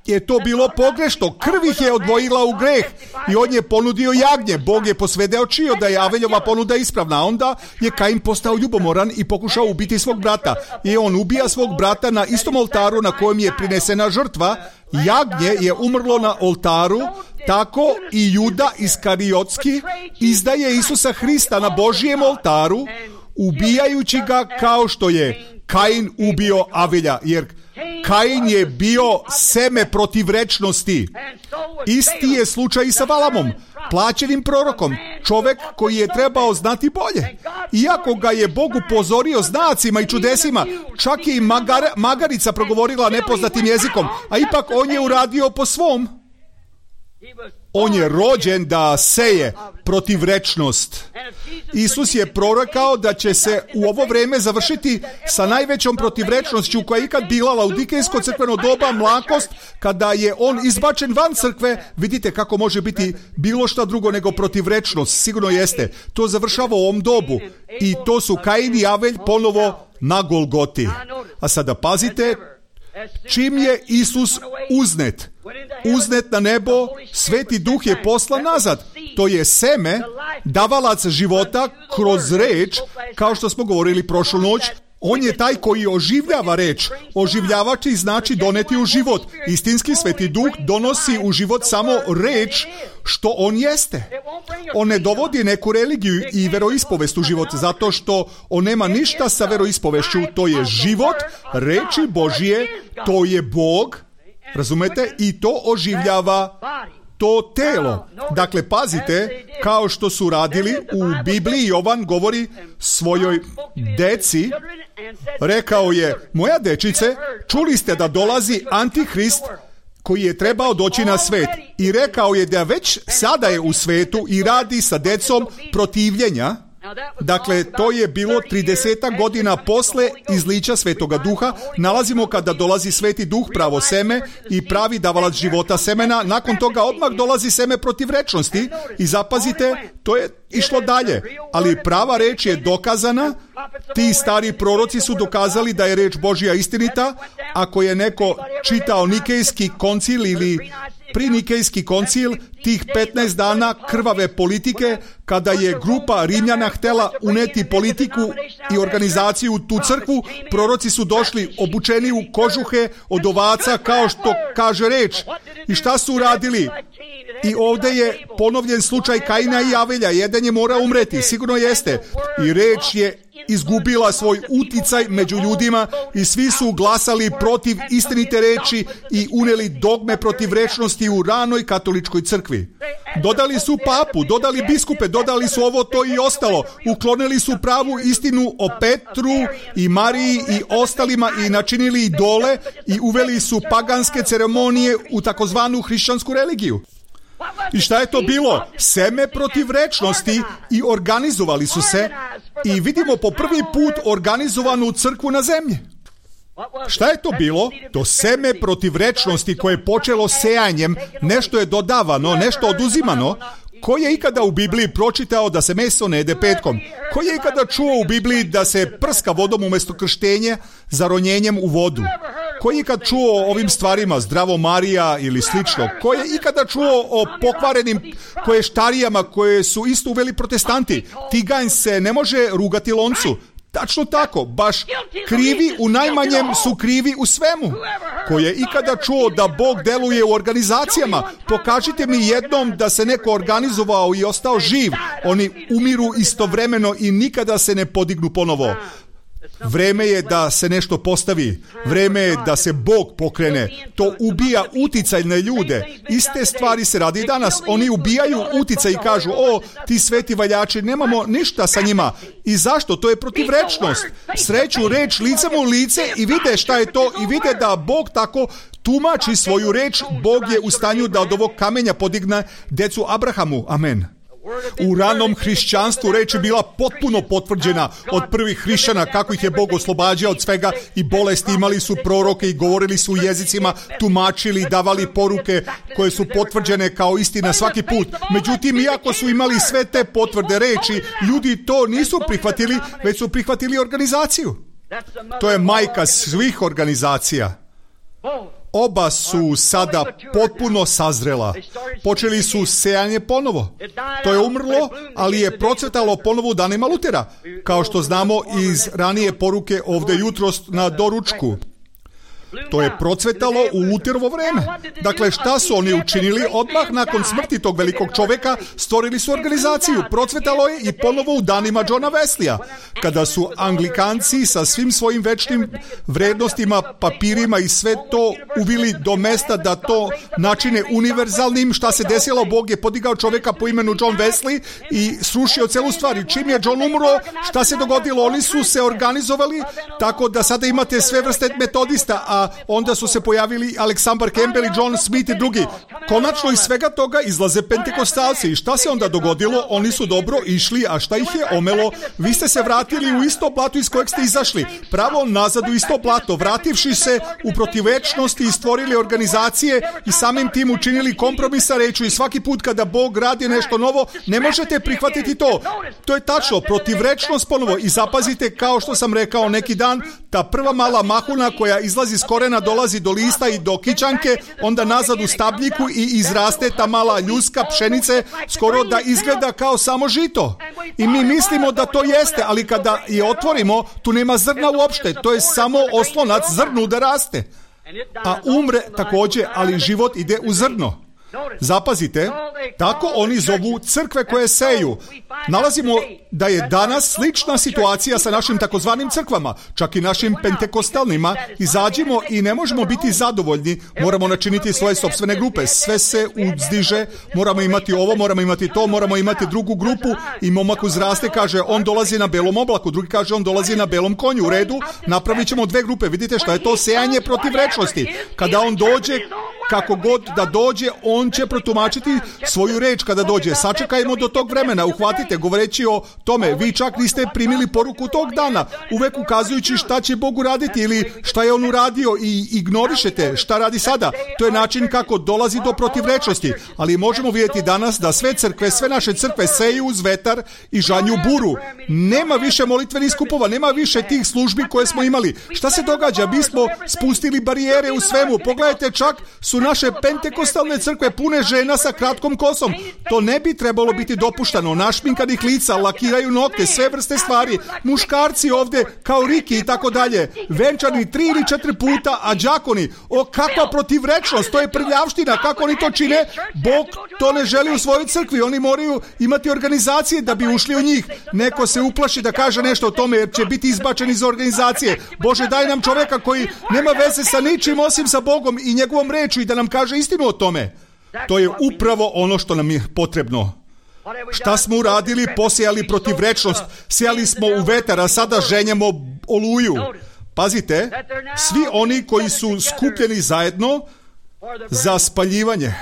je to bilo pogrešno. Krv ih je odvojila u greh i on je ponudio jagnje. Bog je posvjedočio da je Aveljova ponuda ispravna. Onda je Kain postao ljubomoran i pokušao ubiti svog brata. I on ubija svog brata na istom oltaru na kojem je prinesena žrtva. Jagnje je umrlo na oltaru, tako i Juda Iskariotski izdaje Isusa Hrista na Božijem oltaru, ubijajući ga kao što je Kain ubio Avelja, jer Kain je bio seme protivrečnosti. Isti je slučaj i sa Valamom, plaćenim prorokom, čovek koji je trebao znati bolje. Iako ga je Bog upozorio znacima i čudesima, čak je i magarica progovorila nepoznatim jezikom, a ipak on je uradio po svom. On je rođen da seje protivrečnost. Isus je prorokao da će se u ovo vreme završiti sa najvećom protivrečnošću koja je ikad bila laudikejsko crkveno doba, mlakost, kada je on izbačen van crkve. Vidite kako može biti bilo šta drugo nego protivrečnost. Sigurno jeste. To završava u ovom dobu. I to su Kain i Avelj ponovo na Golgoti. A sada pazite, čim je Isus uznet na nebo, Sveti Duh je poslan nazad. To je seme, davalac života kroz reč, kao što smo govorili prošlu noć. On je taj koji oživljava reč. Oživljavači znači doneti u život. Istinski Sveti Duh donosi u život samo reč što on jeste. On ne dovodi neku religiju i veroispovest u život, zato što on nema ništa sa veroispovešću. To je život, reči Božije, to je Bog, razumete? I to oživljava to telo. Dakle, pazite, kao što su radili u Bibliji, Jovan govori svojoj deci, rekao je: moja dečice, čuli ste da dolazi Antihrist koji je trebao doći na svet. I rekao je da već sada je u svetu i radi sa decom protivljenja. Dakle, to je bilo 30 godina posle izlića Svetoga Duha. Nalazimo kada dolazi Sveti Duh, pravo seme i pravi davalac života semena. Nakon toga odmah dolazi seme protivrečnosti i zapazite, to je išlo dalje. Ali prava reč je dokazana. Ti stari proroci su dokazali da je reč Božja istinita. Ako je neko čitao Nikejski koncil ili prinikejski koncil, tih 15 dana krvave politike, kada je grupa Rimljana htela uneti politiku i organizaciju u tu crkvu, proroci su došli obučeni u kožuhe od ovaca, kao što kaže reč. I šta su uradili? I ovdje je ponovljen slučaj Kaina i Avelja. Jedan je mora umreti, sigurno jeste. I reč je izgubila svoj uticaj među ljudima i svi su glasali protiv istinite reči i uneli dogme protivrečnosti u ranoj katoličkoj crkvi. Dodali su papu, dodali biskupe, dodali su ovo, to i ostalo. Uklonili su pravu istinu o Petru i Mariji i ostalima i načinili idole i uveli su paganske ceremonije u takozvanu hrišćansku religiju. I šta je to bilo? Seme protivrečnosti i organizovali su se i vidimo po prvi put organizovanu crkvu na zemlji. Šta je to bilo? To seme protivrečnosti koje je počelo sejanjem, nešto je dodavano, nešto oduzimano. Ko je ikada u Bibliji pročitao da se meso ne jede petkom? Ko je ikada čuo u Bibliji da se prska vodom umjesto krštenja za ronjenjem u vodu? Ko je ikad čuo o ovim stvarima, Zdravo Marija ili slično? Ko je ikada čuo o pokvarenim koještarijama koje su isto uveli protestanti? Tiganj se ne može rugati loncu. Tačno tako, baš krivi u najmanjem su krivi u svemu. Ko je ikada čuo da Bog deluje u organizacijama? Pokažite mi jednom da se neko organizovao i ostao živ. Oni umiru istovremeno i nikada se ne podignu ponovo. Vreme je da se nešto postavi. Vreme je da se Bog pokrene. To ubija uticaj na ljude. Iste stvari se radi danas. Oni ubijaju uticaj i kažu: o, ti sveti valjači, nemamo ništa sa njima. I zašto? To je protivrečnost. Sreću reč licem u lice i vide šta je to i vide da Bog tako tumači svoju reč. Bog je u stanju da od ovog kamenja podigne decu Abrahamu. Amen. U ranom hrišćanstvu reč je bila potpuno potvrđena od prvih hrišćana, kako ih je Bog oslobađao od svega i bolesti. Imali su proroke i govorili su u jezicima, tumačili i davali poruke koje su potvrđene kao istina svaki put. Međutim, iako su imali sve te potvrde reči, ljudi to nisu prihvatili, već su prihvatili organizaciju. To je majka svih organizacija. Oba su sada potpuno sazrela. Počeli su sejanje ponovo. To je umrlo, ali je procvetalo ponovo u danima Lutera, kao što znamo iz ranije poruke ovdje jutros na doručku. To je procvetalo u Luterovo vreme. Dakle, šta su oni učinili? Odmah nakon smrti tog velikog čoveka stvorili su organizaciju. Procvetalo je i ponovo u danima Johna Wesleya, kada su Anglikanci sa svim svojim večnim vrednostima, papirima i sve to uvili do mesta da to načine univerzalnim. Šta se desilo? Bog je podigao čoveka po imenu John Wesley i srušio celu stvar. I čim je John umro, šta se dogodilo? Oni su se organizovali tako da sada imate sve vrste metodista, a onda su se pojavili Aleksandar Campbell i John Smith i drugi. Konačno iz svega toga izlaze pentekostalci. I šta se onda dogodilo? Oni su dobro išli, a šta ih je omelo? Vi ste se vratili u isto blato iz kojeg ste izašli. Pravo nazad u isto blato, vrativši se u protivvečnosti i stvorili organizacije i samim tim učinili kompromisa rečju. I svaki put kada Bog radi nešto novo, ne možete prihvatiti to. To je tačno, protivvečnost ponovo. I zapazite, kao što sam rekao neki dan, ta prva mala mahuna koja izlazi s korena, dolazi do lista i do kićanke, onda nazad u stabljiku i izraste ta mala ljuska pšenice, skoro da izgleda kao samo žito. I mi mislimo da to jeste, ali kada je otvorimo, tu nema zrna uopšte, to je samo oslonac zrnu da raste. A umre također, ali život ide u zrno. Zapazite, tako oni zovu crkve koje seju. Nalazimo da je danas slična situacija sa našim takozvanim crkvama, čak i našim pentekostalnima. Izađimo i ne možemo biti zadovoljni, moramo načiniti svoje sopstvene grupe. Sve se uzdiže, moramo imati ovo, moramo imati to, moramo imati drugu grupu. I momak uzraste, kaže on dolazi na belom oblaku, drugi kaže on dolazi na belom konju. U redu, napravit ćemo dve grupe. Vidite šta je to? Sejanje protivrečnosti. Kada on dođe, kako god da dođe, on će protumačiti svoju reč kada dođe. Sačekajmo do tog vremena, uhvatite, govoreći o tome. Vi čak niste primili poruku tog dana, uvek ukazujući šta će Bog uraditi ili šta je on uradio i ignorišete šta radi sada. To je način kako dolazi do protivrečnosti. Ali možemo vidjeti danas da sve crkve, sve naše crkve seju uz vetar i žanju buru. Nema više molitvenih skupova, nema više tih službi koje smo imali. Šta se događa? Mi smo spustili barijere u svemu. Pogledajte, čak su naše pentekostalne crkve pune žena sa kratkom kosom. To ne bi trebalo biti dopuštano. Našminkanih lica, lakiraju nokte, sve vrste stvari. Muškarci ovdje kao Riki i tako dalje. Venčani 3 ili 4 puta, a đakoni. O, kakva protivrečnost, to je prljavština. Kako oni to čine? Bog to ne želi u svojoj crkvi. Oni moraju imati organizacije da bi ušli u njih. Neko se uplaši da kaže nešto o tome jer će biti izbačen iz organizacije. Bože, daj nam čovjeka koji nema veze sa ničim osim sa Bogom i njegovom rečju i da nam kaže istinu o tome. To je upravo ono što nam je potrebno. Šta smo uradili? Posejali protivrečnost. Sejali smo u vetar, a sada ženjemo oluju. Pazite, svi oni koji su skupljeni zajedno za spaljivanje.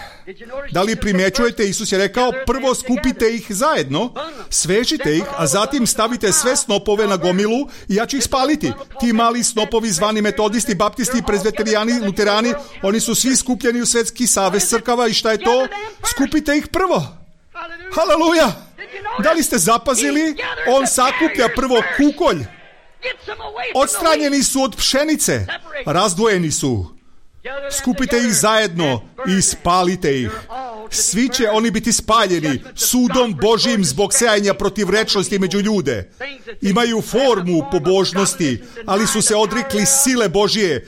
Da li primjećujete, Isus je rekao, prvo skupite ih zajedno, svežite ih, a zatim stavite sve snopove na gomilu i ja ću ih spaliti. Ti mali snopovi zvani metodisti, baptisti, prezveterijani, luterani, oni su svi skupljeni u Svetski savez crkava i šta je to? Skupite ih prvo. Haleluja! Da li ste zapazili? On sakuplja prvo kukolj. Odstranjeni su od pšenice. Razdvojeni su. Skupite ih zajedno i spalite ih. Svi će oni biti spaljeni sudom Božjim zbog sejanja protivrečnosti među ljude. Imaju formu pobožnosti, ali su se odrekli sile Božje,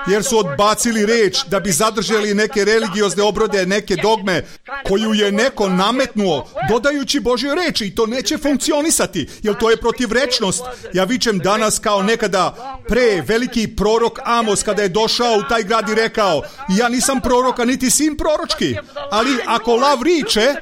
jer su odbacili reč da bi zadržali neke religiozne obrode, neke dogme koju je neko nametnuo dodajući Božjoj reči i to neće funkcionisati, jer to je protivrečnost. Ja vičem danas kao nekada pre veliki prorok Amos kada je došao u taj grad i rekao, ja nisam prorok, a niti sin proročki, ali ako lav riče,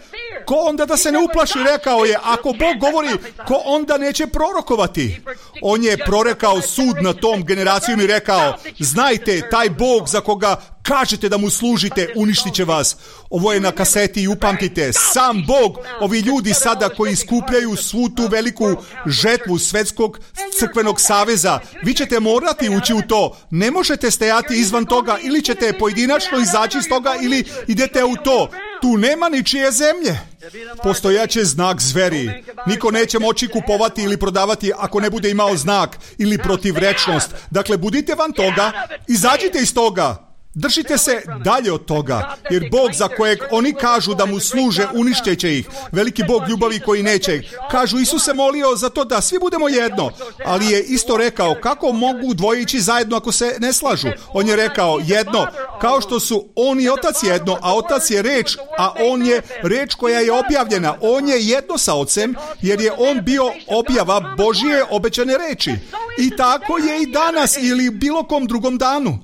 ko onda da se ne uplaši? Rekao je, ako Bog govori, ko onda neće prorokovati? On je prorekao sud na tom generacijom i rekao, znajte, taj Bog za koga kažete da mu služite, uništit će vas. Ovo je na kaseti i upamtite, sam Bog, ovi ljudi sada koji skupljaju svu tu veliku žetvu Svetskog crkvenog saveza, vi ćete morati ući u to. Ne možete stajati izvan toga, ili ćete pojedinačno izaći iz toga, ili idete u to. Tu nema ničije zemlje. Postojaće znak zveri. Niko neće moći kupovati ili prodavati ako ne bude imao znak ili protivrečnost. Dakle, budite van toga, izađite iz toga. Držite se dalje od toga, jer Bog za kojeg oni kažu da mu služe uništeće ih, veliki Bog ljubavi koji neće. Kažu, Isus se molio za to da svi budemo jedno, ali je isto rekao, kako mogu dvoje ići zajedno ako se ne slažu? On je rekao jedno, kao što su on i otac jedno, a otac je reč, a on je reč koja je objavljena. On je jedno sa ocem, jer je on bio objava Božje obećane reči. I tako je i danas ili bilo kom drugom danu.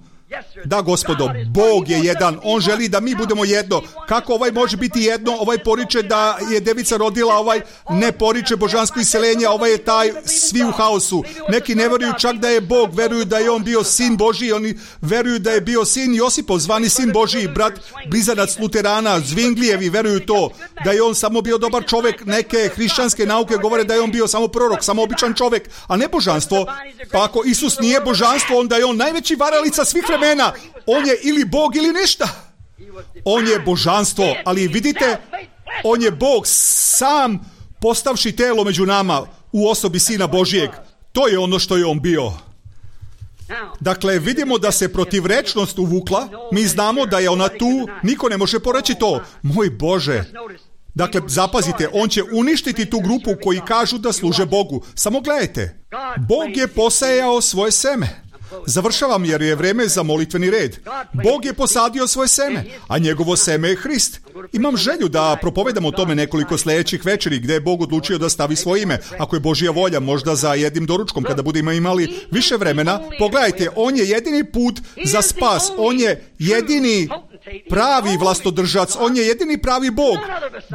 Da, Gospodo, Bog je jedan, on želi da mi budemo jedno. Kako ovaj može biti jedno? Ovaj poriče da je devica rodila, ovaj ne poriče božansko iseljenje, ovaj je taj svi u haosu. Neki ne veruju čak da je Bog, veruju da je on bio sin Božji, oni veruju da je bio sin Josipov, zvani sin Božji, brat blizanac Luterana, Zvinglijevi veruju to, da je on samo bio dobar čovjek. Neke hrišćanske nauke govore da je on bio samo prorok, samo običan čovjek, a ne božanstvo. Pa ako Isus nije božanstvo, onda je on najveći varalica svih vremena. On je ili Bog ili ništa. On je božanstvo, ali vidite, on je Bog sam postavši telo među nama u osobi Sina Božijeg. To je ono što je on bio. Dakle, vidimo da se protivrečnost uvukla. Mi znamo da je ona tu. Niko ne može poreći to. Moj Bože. Dakle, zapazite, on će uništiti tu grupu koji kažu da služe Bogu. Samo gledajte. Bog je posejao svoje seme. Završavam jer je vreme za molitveni red. Bog je posadio svoje seme, a njegovo seme je Hrist. Imam želju da propovedam o tome nekoliko sljedećih večeri gdje je Bog odlučio da stavi svoje ime. Ako je Božja volja, možda za jednim doručkom kada budemo imali više vremena. Pogledajte, on je jedini put za spas. On je jedini pravi vlastodržac. On je jedini pravi Bog.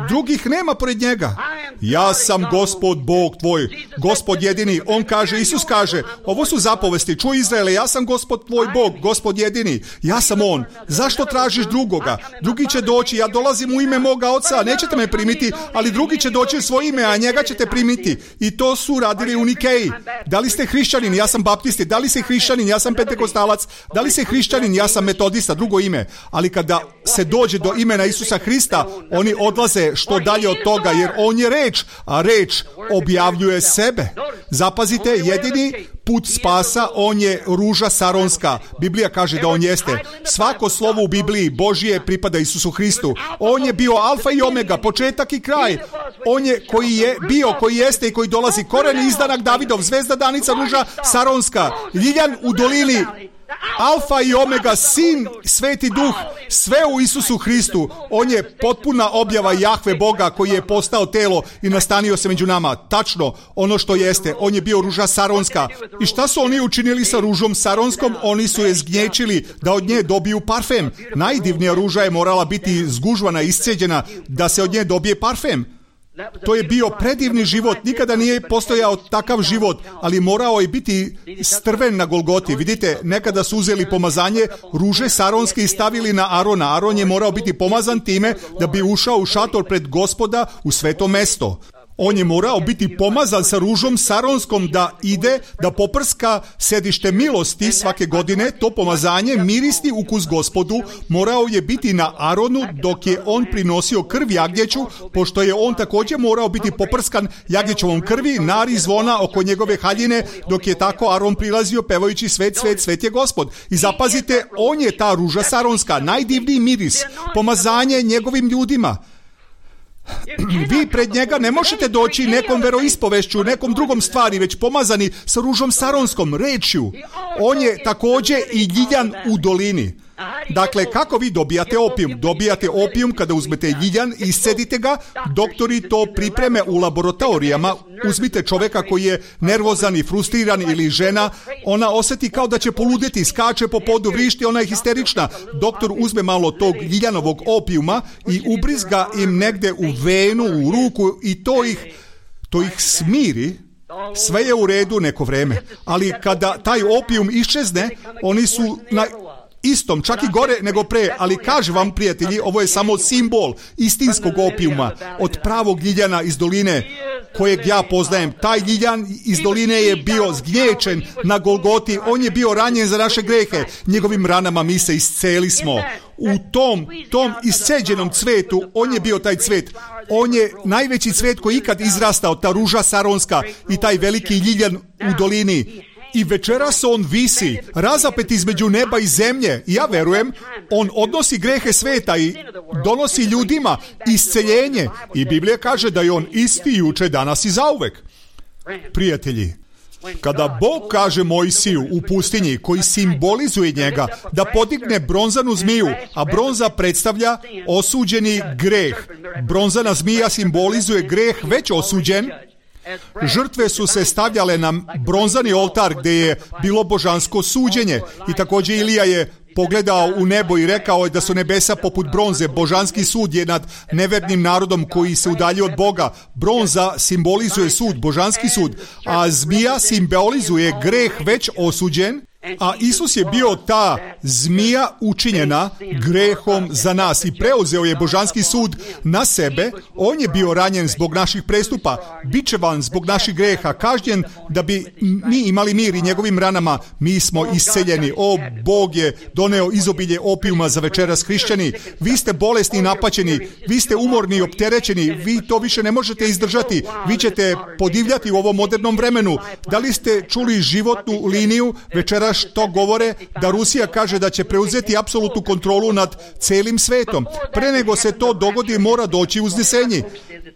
Drugih nema pored njega. Ja sam Gospod Bog tvoj. Gospod jedini. On kaže, Isus kaže, ovo su zapovesti. Čuj Izraele, ja sam Gospod tvoj Bog, Gospod jedini. Ja sam on. Zašto tražiš drugoga? Drugi će doći, ja dolazim u ime moga oca, nećete me primiti, ali drugi će doći u svoje ime, a njega ćete primiti. I to su radili u Nikeji. Da li ste hrišćanin? Ja sam baptisti. Da li ste hrišćanin? Ja sam pentekostalac. Da li ste hrišćanin? Ja sam metodista, drugo ime. Ali kada se dođe do imena Isusa Hrista, oni odlaze što dalje od toga, jer on je reč, a reč objavljuje sebe. Zapazite, jedini put spasa, on je ruža saronska. Biblija kaže da on jeste. Svako slovo u Bibliji Božije pripada Isusu Hristu. On je bio alfa i omega, početak i kraj. On je koji je bio, koji jeste i koji dolazi. Koren izdanak Davidov, zvezda danica, ruža saronska, ljiljan u dolini, alfa i omega, sin, sveti duh, sve u Isusu Hristu. On je potpuna objava Jahve Boga koji je postao telo i nastanio se među nama. Tačno, ono što jeste. On je bio ruža saronska. I šta su oni učinili sa ružom saronskom? Oni su je zgnječili da od nje dobiju parfem. Najdivnija ruža je morala biti zgužvana, isceđena da se od nje dobije parfem. To je bio predivni život, nikada nije postojao takav život, ali morao je biti strven na Golgoti. Vidite, nekada su uzeli pomazanje ruže saronske i stavili na Arona. Aron je morao biti pomazan time da bi ušao u šator pred Gospoda u sveto mesto. On je morao biti pomazan sa ružom saronskom da ide, da poprska sedište milosti svake godine. To pomazanje, mirisni ukus Gospodu, morao je biti na Aronu dok je on prinosio krv jagnjeću, pošto je on također morao biti poprskan jagnjećovom krvi, nari zvona oko njegove haljine, dok je tako Aron prilazio pevajući svet, svet, svet je Gospod. I zapazite, on je ta ruža saronska, najdivniji miris, pomazanje njegovim ljudima. Vi pred njega ne možete doći nekom veroispovešću, nekom drugom stvari, već pomazani sa ružom saronskom, rečju. On je također i ljiljan u dolini. Dakle, kako vi dobijate opijum? Dobijate opijum kada uzmete ljiljan i iscedite ga. Doktori to pripreme u laboratorijama. Uzmite čovjeka koji je nervozan i frustriran ili žena. Ona osjeti kao da će poludjeti, skače po podu, vrišti, ona je histerična. Doktor uzme malo tog ljiljanovog opijuma i ubrizga im negde u venu, u ruku i to ih smiri. Sve je u redu neko vreme. Ali kada taj opijum iščezne, oni su na istom, čak i gore nego pre, ali kažem vam, prijatelji, ovo je samo simbol istinskog opijuma od pravog ljiljana iz doline kojeg ja poznajem. Taj ljiljan iz doline je bio zgnječen na Golgoti, on je bio ranjen za naše grehe, njegovim ranama mi se isceli smo. U tom isceđenom cvetu, on je bio taj cvet. On je najveći cvet koji ikad izrastao, ta ruža saronska i taj veliki ljiljan u dolini. I večeras on visi, razapet između neba i zemlje. I ja verujem, on odnosi grehe sveta i donosi ljudima isceljenje. I Biblija kaže da je on isti juče, danas i zauvek. Prijatelji, kada Bog kaže Mojsiju u pustinji, koji simbolizuje njega, da podigne bronzanu zmiju, a bronza predstavlja osuđeni greh. Bronzana zmija simbolizuje greh već osuđen. Žrtve su se stavljale na bronzani oltar gdje je bilo božansko suđenje. I također Ilija je pogledao u nebo i rekao je da su nebesa poput bronze. Božanski sud je nad nevernim narodom koji se udalji od Boga. Bronza simbolizuje sud, božanski sud, a zmija simbolizuje greh već osuđen. A Isus je bio ta zmija učinjena grehom za nas i preuzeo je božanski sud na sebe. On je bio ranjen zbog naših prestupa, bičevan zbog naših greha, kažnjen da bi mi imali mir i njegovim ranama mi smo isceljeni. O, Bog je doneo izobilje opijuma za večeras, hrišćani. Vi ste bolesni i napaćeni, vi ste umorni i opterećeni, vi to više ne možete izdržati, vi ćete podivljati u ovom modernom vremenu. Da li ste čuli životnu liniju večeras što govore da Rusija kaže da će preuzeti apsolutnu kontrolu nad celim svetom? Pre nego se to dogodi mora doći uznesenje.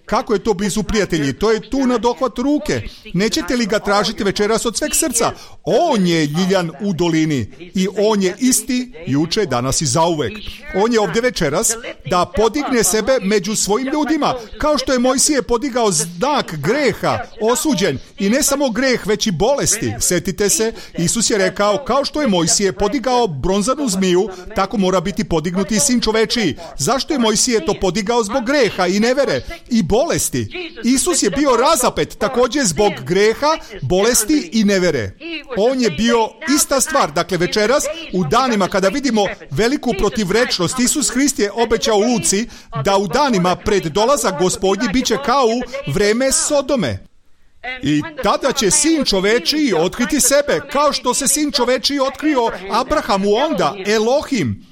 Kako je to blizu, prijatelji? To je tu na dohvat ruke. Nećete li ga tražiti večeras od sveg srca? On je ljiljan u dolini i on je isti juče, danas i zauvek. On je ovdje večeras da podigne sebe među svojim ljudima, kao što je Mojsije podigao znak greha, osuđen, i ne samo greh, već i bolesti. Sjetite se, Isus je rekao, kao što je Mojsije podigao bronzanu zmiju, tako mora biti podignuti i sin čovečiji. Zašto je Mojsije to podigao? Zbog greha i nevere i bolesti. Isus je bio razapet također zbog greha, bolesti i nevere. On je bio ista stvar. Dakle, večeras u danima kada vidimo veliku protivrečnost, Isus Hrist je obećao Luci da u danima pred dolazak Gospodnji bit će kao u vreme Sodome. I tada će sin čovečiji otkriti sebe, kao što se sin čovečiji otkrio Abrahamu onda, Elohim.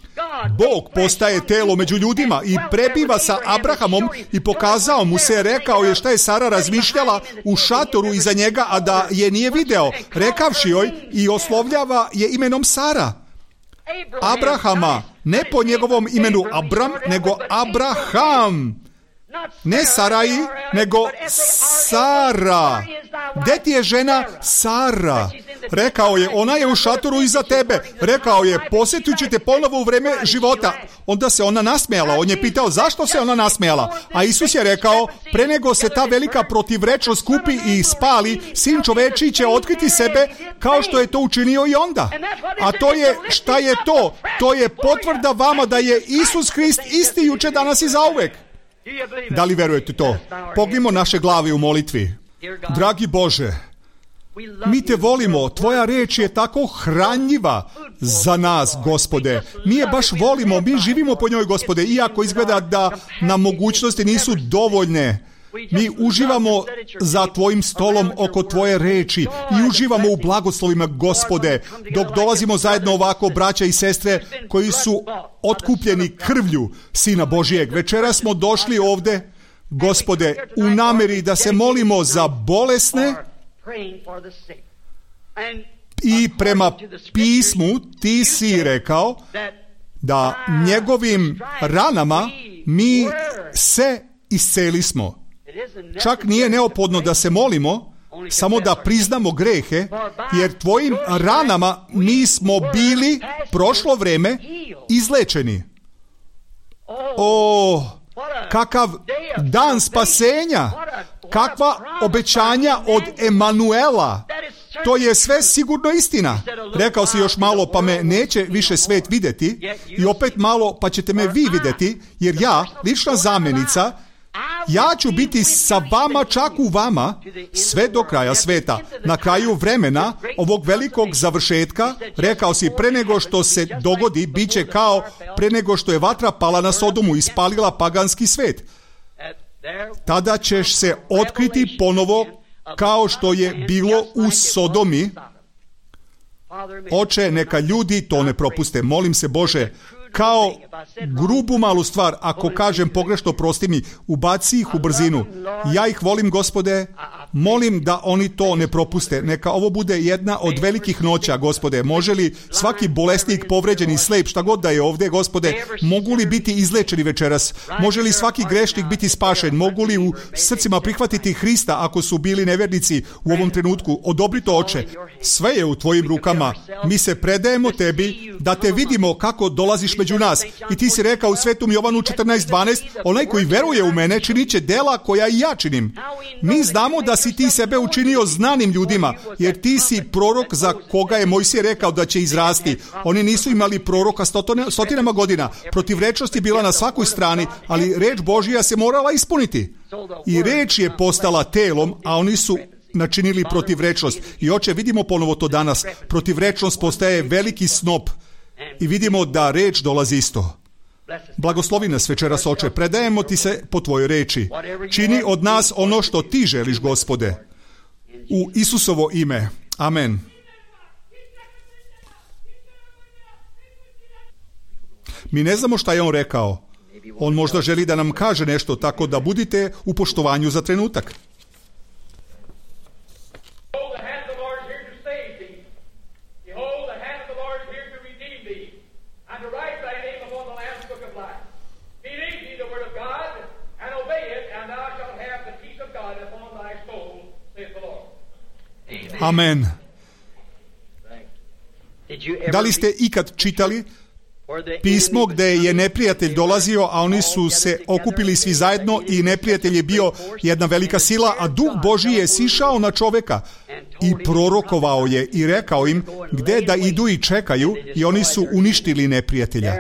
Bog postaje telo među ljudima i prebiva sa Abrahamom i pokazao mu se, rekao je šta je Sara razmišljala u šatoru iza njega, a da je nije video, rekavši joj i oslovljava je imenom Sara. Abrahama, ne po njegovom imenu Abram, nego Abraham. Ne Saraji, nego Sara. Gde ti je žena? Sara. Rekao je, ona je u šatoru iza tebe. Rekao je, posjetit ću te ponovo u vreme života. Onda se ona nasmejala. On je pitao zašto se ona nasmejala. A Isus je rekao, pre nego se ta velika protivrečnost skupi i spali, sin čovečiji će otkriti sebe kao što je to učinio i onda. A to je, šta je to? To je potvrda vama da je Isus Hrist isti juče, danas i zauvek. Da li verujete to? Pognimo naše glave u molitvi. Dragi Bože, mi te volimo, tvoja reč je tako hranjiva za nas, Gospode. Mi je baš volimo, mi živimo po njoj, Gospode, iako izgleda da nam mogućnosti nisu dovoljne. Mi uživamo za tvojim stolom oko tvoje reči i uživamo u blagoslovima, Gospode, dok dolazimo zajedno ovako, braća i sestre koji su otkupljeni krvlju Sina Božijeg. Večera smo došli ovde, Gospode, u nameri da se molimo za bolesne i prema pismu ti si rekao da njegovim ranama mi se iscelismo. Čak nije neophodno da se molimo, samo da priznamo grehe, jer tvojim ranama mi smo bili prošlo vreme izlečeni. O, kakav dan spasenja, kakva obećanja od Emanuela. To je sve sigurno istina. Rekao si još malo pa me neće više svet vidjeti i opet malo pa ćete me vi vidjeti, jer ja, lična zamjenica, ja ću biti sa vama, čak u vama, sve do kraja sveta. Na kraju vremena, ovog velikog završetka, rekao si, pre nego što se dogodi, bit će kao pre nego što je vatra pala na Sodomu i spalila paganski svet. Tada ćeš se otkriti ponovo kao što je bilo u Sodomi. Oče, neka ljudi to ne propuste. Molim se, Bože, kao grubu malu stvar, ako kažem pogrešno, prosti mi, ubaci ih u brzinu. Ja ih volim, Gospode, Molim da oni to ne propuste. Neka ovo bude jedna od velikih noća, Gospode. Može li svaki bolesnik, povređeni, slep, šta god da je ovdje, Gospode, mogu li biti izlečeni večeras? Može li svaki grešnik biti spašen? Mogu li u srcima prihvatiti Hrista ako su bili nevernici u ovom trenutku? Odobri to, Oče. Sve je u tvojim rukama. Mi se predajemo tebi da te vidimo kako dolaziš među nas. I ti si rekao u Svetom Jovanu 14:12, onaj koji veruje u mene činit će dela koja i ja činim. Mi znamo da si ti sebe učinio znanim ljudima, jer ti si prorok za koga je Mojsije rekao da će izrasti. Oni nisu imali proroka stotinama godina. Protivrečnost je bila na svakoj strani, ali reč Božja se morala ispuniti. I reč je postala telom, a oni su načinili protivrečnost. I Oče, vidimo ponovo to danas. Protivrečnost postaje veliki snop i vidimo da reč dolazi isto. Blagoslovi nas večeras, Oče, predajemo ti se po tvojoj reči. Čini od nas ono što ti želiš, Gospode. U Isusovo ime. Amen. Mi ne znamo šta je on rekao. On možda želi da nam kaže nešto, tako da budite u poštovanju za trenutak. Amen. Da li ste ikad čitali pismo gdje je neprijatelj dolazio, a oni su se okupili svi zajedno i neprijatelj je bio jedna velika sila, a Duh Božji je sišao na čoveka i prorokovao je i rekao im gdje da idu i čekaju i oni su uništili neprijatelja.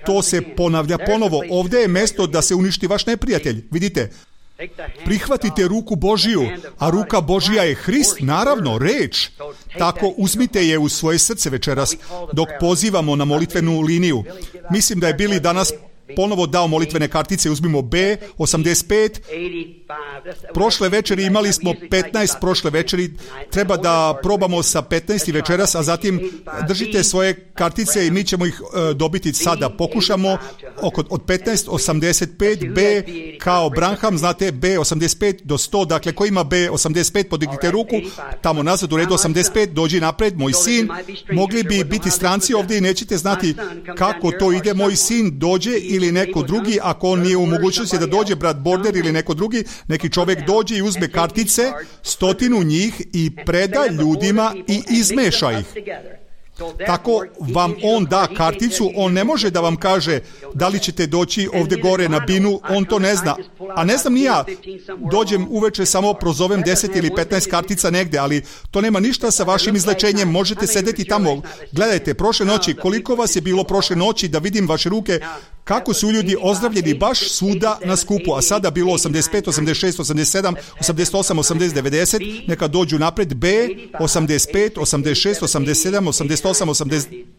To se ponavlja ponovo. Ovdje je mjesto da se uništi vaš neprijatelj. Vidite, prihvatite ruku Božiju, a ruka Božja je Hrist, naravno, reč. Tako uzmite je u svoje srce večeras dok pozivamo na molitvenu liniju. Mislim da je Bili danas ponovo dao molitvene kartice. Uzmimo B85. Prošle večeri imali smo 15, prošle večeri treba da probamo sa 15 večeras, a zatim držite svoje kartice i mi ćemo ih dobiti sada. Pokušamo od 15, 85, B kao Branham, znate B85 do 100, dakle ko ima B85 podignite ruku, tamo nazad u redu 85, dođi napred, moj sin. Mogli bi biti stranci ovdje i nećete znati kako to ide. Moj sin dođe ili neko drugi, ako on nije u mogućnosti da dođe, brat Border ili neko drugi, neki čovjek dođe i uzme kartice, 100 njih i preda ljudima i izmeša ih. Tako vam on da karticu, on ne može da vam kaže da li ćete doći ovdje gore na binu, on to ne zna. A ne znam ni ja, dođem uveče samo prozovem 10 ili 15 kartica negdje, ali to nema ništa sa vašim izlečenjem, možete sedeti tamo. Gledajte, prošle noći, koliko vas je bilo prošle noći, da vidim vaše ruke, kako su ljudi ozdravljeni baš svuda na skupu, a sada bilo 85, 86, 87, 88, 80, 90, neka dođu napred, B, 85, 86, 87, 88,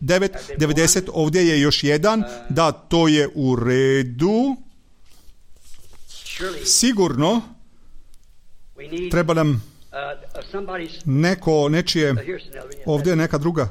89, 90, ovdje je još jedan, da, to je u redu. Sigurno treba nam nečije, ovdje je neka druga.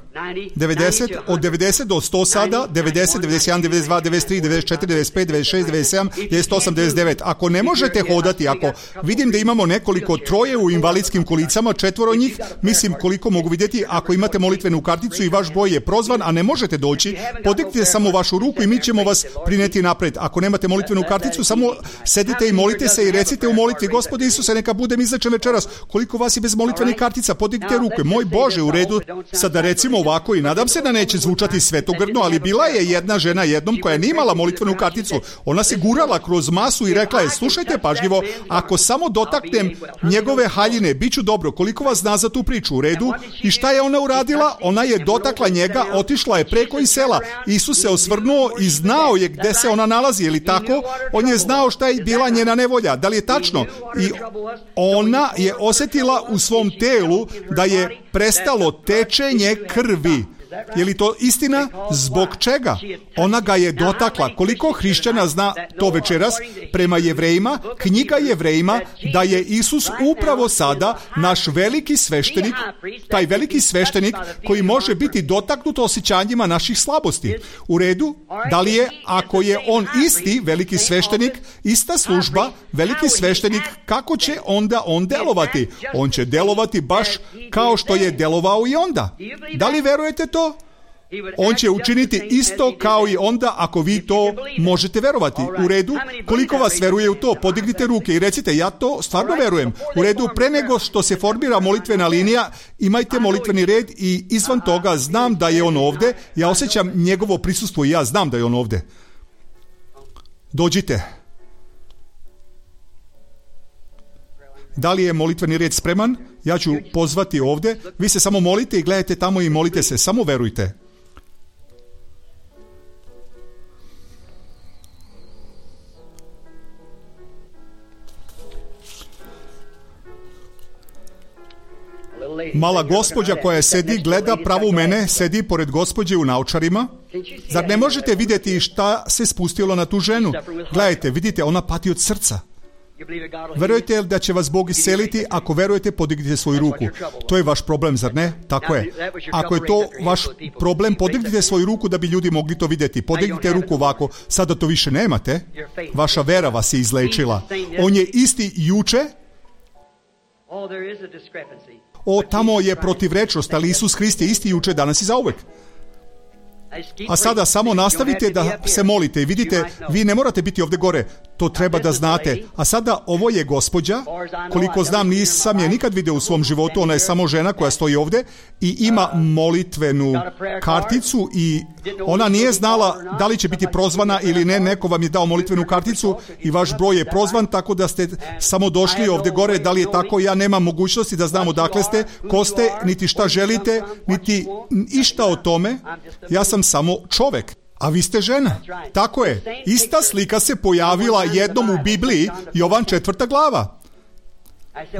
90, od 90 do 100 sada, 90, 91, 92, 93, 94, 95, 96, 97, 98, 99. Ako ne možete hodati, ako vidim da imamo nekoliko, troje u invalidskim kolicama, 4 njih, mislim koliko mogu vidjeti, ako imate molitvenu karticu i vaš broj je prozvan, a ne možete doći, podignite samo vašu ruku i mi ćemo vas prineti napred. Ako nemate molitvenu karticu, samo sedite i molite se i recite u molitvi, Gospode Isuse, neka budem izlečen večeras. Koliko vas je bez molitvenih kartica, podignite ruke. Moj Bože, u redu. Sada recimo ovako i nadam se da neće zvučati svetogrdo, ali bila je jedna žena jednom koja nije imala molitvenu karticu. Ona se gurala kroz masu i rekla je, slušajte pažljivo, ako samo dotaknem njegove haljine, bit ću dobro. Koliko vas zna za tu priču? U redu. I šta je ona uradila? Ona je dotakla njega, otišla je preko iz sela. Isus se osvrnuo i znao je gde se ona nalazi, je li tako? On je znao šta je bila njena nevolja. Da li je tačno? I ona je osjetila u svom telu da je prestalo tečenje krvi. Je li to istina? Zbog čega? Ona ga je dotakla. Koliko hrišćana zna to večeras prema Jevrejima, knjiga Jevrejima, da je Isus upravo sada naš veliki sveštenik, taj veliki sveštenik koji može biti dotaknut osjećanjima naših slabosti. U redu, da li je, ako je on isti veliki sveštenik, ista služba, veliki sveštenik, kako će onda on delovati? On će delovati baš kao što je delovao i onda. Da li verujete to? On će učiniti isto kao i onda ako vi to možete verovati. U redu, koliko vas veruje u to? Podignite ruke i recite, ja to stvarno verujem. U redu, pre nego što se formira molitvena linija, imajte molitveni red i izvan toga znam da je on ovde. Ja osjećam njegovo prisustvo i ja znam da je on ovde. Dođite. Da li je molitveni red spreman? Ja ću pozvati ovde. Vi se samo molite i gledajte tamo i molite se. Samo verujte. Mala gospođa koja sedi, gleda pravo u mene, sedi pored gospođe u naočarima. Zar ne možete vidjeti šta se spustilo na tu ženu? Gledajte, vidite, ona pati od srca. Verujete li da će vas Bog isceliti? Ako verujete, podignite svoju ruku. To je vaš problem, zar ne? Tako je. Ako je to vaš problem, podignite svoju ruku da bi ljudi mogli to vidjeti. Podignite ruku ovako. Sada to više nemate. Vaša vera vas je izlečila. On je isti juče. Tamo je protivrečnost, ali Isus Hrist je isti juče, danas i zauvek. A sada samo nastavite da se molite i vidite, vi ne morate biti ovdje gore, to treba da znate. A sada ovo je gospođa, koliko znam nisam je nikad vidio u svom životu, ona je samo žena koja stoji ovdje i ima molitvenu karticu i ona nije znala da li će biti prozvana ili ne, neko vam je dao molitvenu karticu i vaš broj je prozvan, tako da ste samo došli ovdje gore, da li je tako, ja nemam mogućnosti da znam odakle ste, ko ste, niti šta želite, niti išta o tome, ja sam samo čovek. A vi ste žena. Tako je. Ista slika se pojavila jednom u Bibliji, Jovan 4. glava.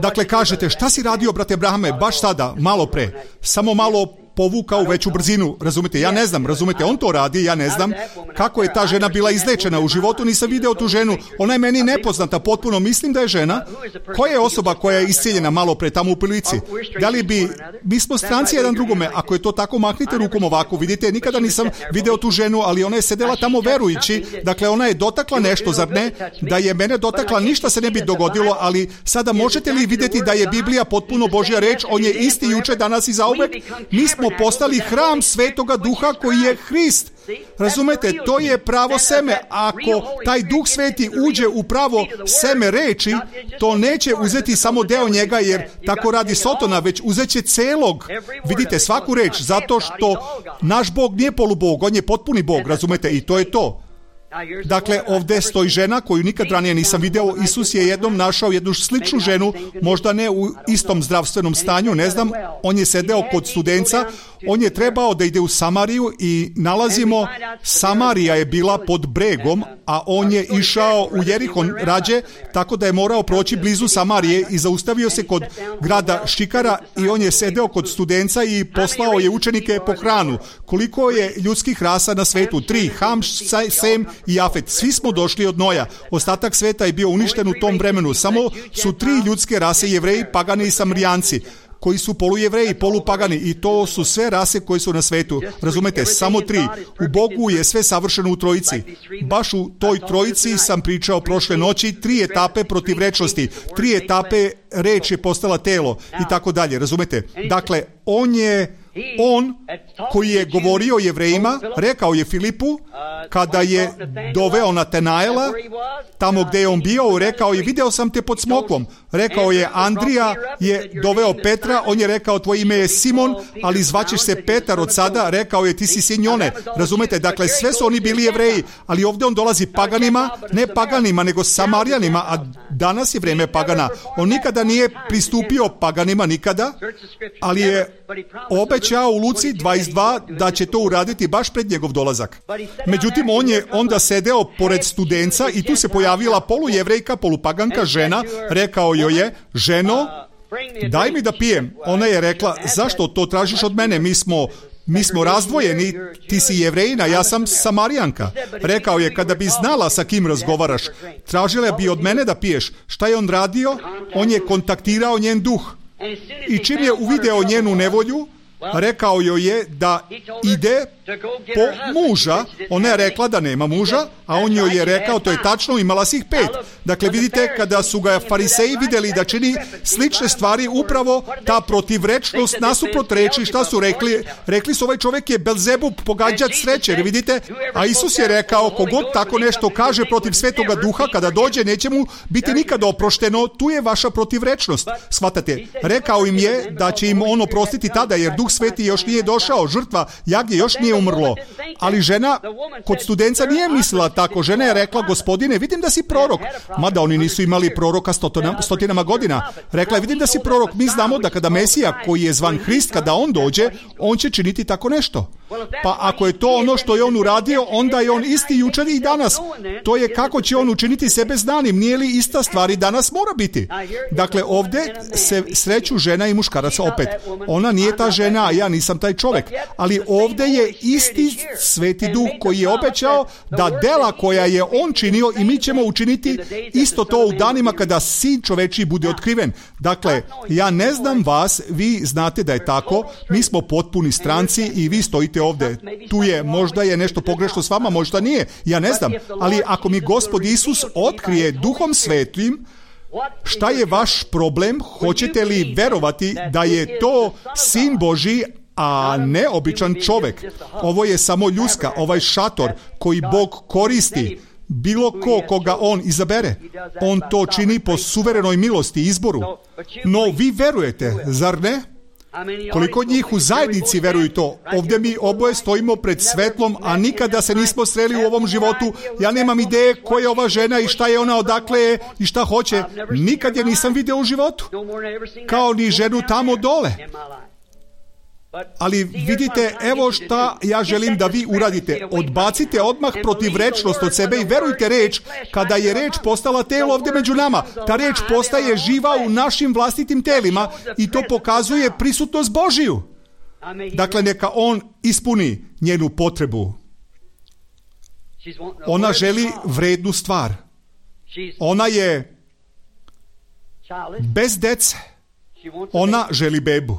Dakle, kažete, šta si radio, brate Brahame, baš sada, malo pre, samo malo povukao u veću brzinu, razumete, ja ne znam, razumete, on to radi, ja ne znam kako je ta žena bila izlečena u životu, nisam video tu ženu, ona je meni nepoznata, potpuno mislim da je žena. Koja je osoba koja je iscijeljena malo pre tamo u prilici? Da li bi, mi smo stranci jedan drugome, ako je to tako, mahnite rukom ovako, vidite, nikada nisam video tu ženu, ali ona je sedela tamo verujući, dakle ona je dotakla nešto, zar ne? Da je mene dotakla, ništa se ne bi dogodilo, ali sada možete li vidjeti da je Biblija potpuno Božja reč, on je isti juče, danas i zauvek, mi smo postali hram Svetoga Duha koji je Hrist. Razumete, to je pravo seme. Ako taj Duh Sveti uđe u pravo seme reči, to neće uzeti samo deo njega, jer tako radi Sotona, već uzeće celog. Vidite, svaku reč, zato što naš Bog nije polubog, on je potpuni Bog, razumete, i to je to. Dakle, ovdje stoji žena koju nikad ranije nisam video. Isus je jednom našao jednu sličnu ženu, možda ne u istom zdravstvenom stanju, ne znam, on je sedeo kod Studenca, on je trebao da ide u Samariju i nalazimo, Samarija je bila pod bregom, a on je išao u Jerihon rađe, tako da je morao proći blizu Samarije i zaustavio se kod grada Šikara i on je sedeo kod Studenca i poslao je učenike po hranu. Koliko je ljudskih rasa na svetu? 3, Ham, Sem i Jafet. Svi smo došli od Noja. Ostatak sveta je bio uništen u tom vremenu. Samo su 3 ljudske rase, Jevreji, pagani i Samarijanci, koji su polujevreji, polupagani, i to su sve rase koje su na svetu. Razumete, samo 3. U Bogu je sve savršeno u trojici. Baš u toj trojici sam pričao prošle noći, 3 etape protivrečnosti, 3 etape reč je postala telo i tako dalje. Razumete? Dakle, on koji je govorio Jevrejima, rekao je Filipu, kada je doveo Natanaela, tamo gdje je on bio, rekao je, video sam te pod smoklom. Rekao je, Andrija je doveo Petra, on je rekao, tvoje ime je Simon, ali zvaćeš se Petar od sada, rekao je, ti si sin Jone. Razumete, dakle, sve su oni bili Jevreji, ali ovdje on dolazi paganima, ne paganima, nego Samarijanima, a danas je vrijeme pagana. On nikada nije pristupio paganima, nikada, ali je obećao u Luci 22 da će to uraditi baš pred njegov dolazak. Međutim, on je onda sedeo pored Studenca i tu se pojavila polujevrejka, polupaganka žena, rekao joj je, ženo, daj mi da pijem. Ona je rekla, zašto to tražiš od mene? Mi smo mi smo razdvojeni, ti si Jevrejina, ja sam Samarijanka. Rekao je, kada bi znala sa kim razgovaraš, tražila bi od mene da piješ. Šta je on radio? On je kontaktirao njen duh. I čim je uvideo njenu nevolju, rekao joj je da ide po muža. Ona je rekla da nema muža, a on joj je rekao, to je tačno, imala si ih 5. Dakle, vidite, kada su ga fariseji vidjeli da čini slične stvari, upravo ta protivrečnost nasuprot reči, šta su rekli? Rekli su, ovaj čovjek je Belzebub, pogađač sreće, vidite? A Isus je rekao, kogod tako nešto kaže protiv Svetoga Duha, kada dođe, neće mu biti nikad oprošteno, tu je vaša protivrečnost. Shvatate? Rekao im je da će im on oprostiti tada, jer Duh Sveti još nije došao, žrtva jagnje još nije umrlo. Ali žena kod studenca nije mislila tako. Žena je rekla, Gospodine, vidim da si prorok. Mada oni nisu imali proroka stotinama godina. Rekla je, vidim da si prorok. Mi znamo da kada Mesija, koji je zvan Hrist, kada on dođe, on će činiti tako nešto. Pa ako je to ono što je on uradio, onda je on isti jučer i danas. To je kako će on učiniti sebe znanim. Nije li ista stvar i danas mora biti? Dakle, ovdje se sreću žena i muškarac opet. Ona nije ta žena, a ja nisam taj čovjek. Ali ovdje je isti Sveti Duh koji je obećao da dela koja je on činio i mi ćemo učiniti isto to u danima kada Sin čovečiji bude otkriven. Dakle, ja ne znam vas, vi znate da je tako, mi smo potpuni stranci i vi stojite ovdje. Tu je, možda je nešto pogrešno s vama, možda nije, ja ne znam. Ali ako mi Gospod Isus otkrije Duhom Svetim, šta je vaš problem? Hoćete li verovati da je to Sin Božji, a ne običan čovjek? Ovo je samo ljuska, ovaj šator koji Bog koristi. Bilo koga on izabere. On to čini po suverenoj milosti i izboru. No vi verujete, zar ne? Koliko njih u zajednici veruju to? Ovdje mi oboje stojimo pred svetlom, a nikada se nismo sreli u ovom životu. Ja nemam ideje ko je ova žena i šta je ona, odakle je i šta hoće. Nikad je nisam vidio u životu. Kao ni ženu tamo dole. Ali vidite, evo šta ja želim da vi uradite. Odbacite odmah protivrečnost od sebe i verujte reč. Kada je reč postala telo ovdje među nama, ta reč postaje živa u našim vlastitim telima i to pokazuje prisutnost Božiju. Dakle, neka on ispuni njenu potrebu. Ona želi vrednu stvar. Ona je bez dece. Ona želi bebu.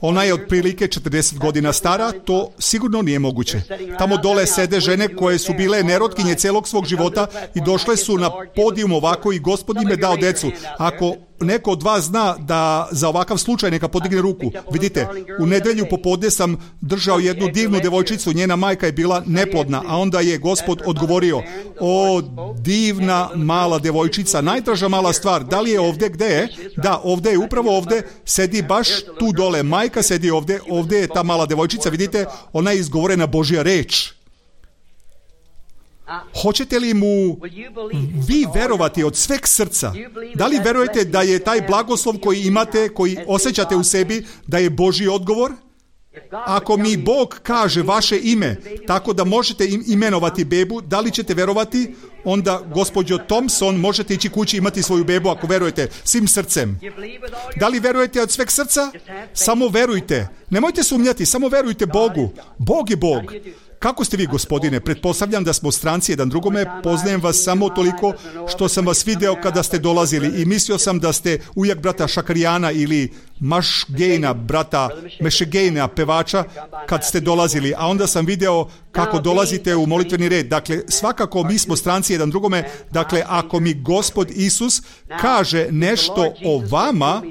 Ona je otprilike 40 godina stara, to sigurno nije moguće. Tamo dole sede žene koje su bile nerotkinje celog svog života i došle su na podijum ovako i Gospod im je dao decu. Ako neko od vas zna da za ovakav slučaj neka podigne ruku. Vidite, u nedjelju popodne sam držao jednu divnu devojčicu, njena majka je bila neplodna, a onda je Gospod odgovorio, o divna mala devojčica, najdraža mala stvar, da li je ovdje, gdje je? Da, ovdje je, upravo ovdje, sedi baš tu dole, majka sedi ovdje, ovdje je ta mala devojčica, vidite, ona je izgovorena Božja reč. Hoćete li mu vi verovati od sveg srca? Da li verujete da je taj blagoslov koji imate, koji osjećate u sebi, da je Božji odgovor? Ako mi Bog kaže vaše ime, tako da možete imenovati bebu, da li ćete verovati? Onda, gospođo Thompson, možete ići kući imati svoju bebu ako verujete svim srcem. Da li verujete od sveg srca? Samo verujte. Nemojte sumnjati, samo verujte Bogu. Bog je Bog. Kako ste vi, Gospodine? Pretpostavljam da smo stranci jedan drugome, poznajem vas samo toliko što sam vas video kada ste dolazili i mislio sam da ste ujak brata Šakarijana ili Mašgejna, brata Mešegejna, pevača, kad ste dolazili, a onda sam video kako dolazite u molitveni red. Dakle, svakako mi smo stranci jedan drugome, dakle, ako mi Gospod Isus kaže nešto o vama,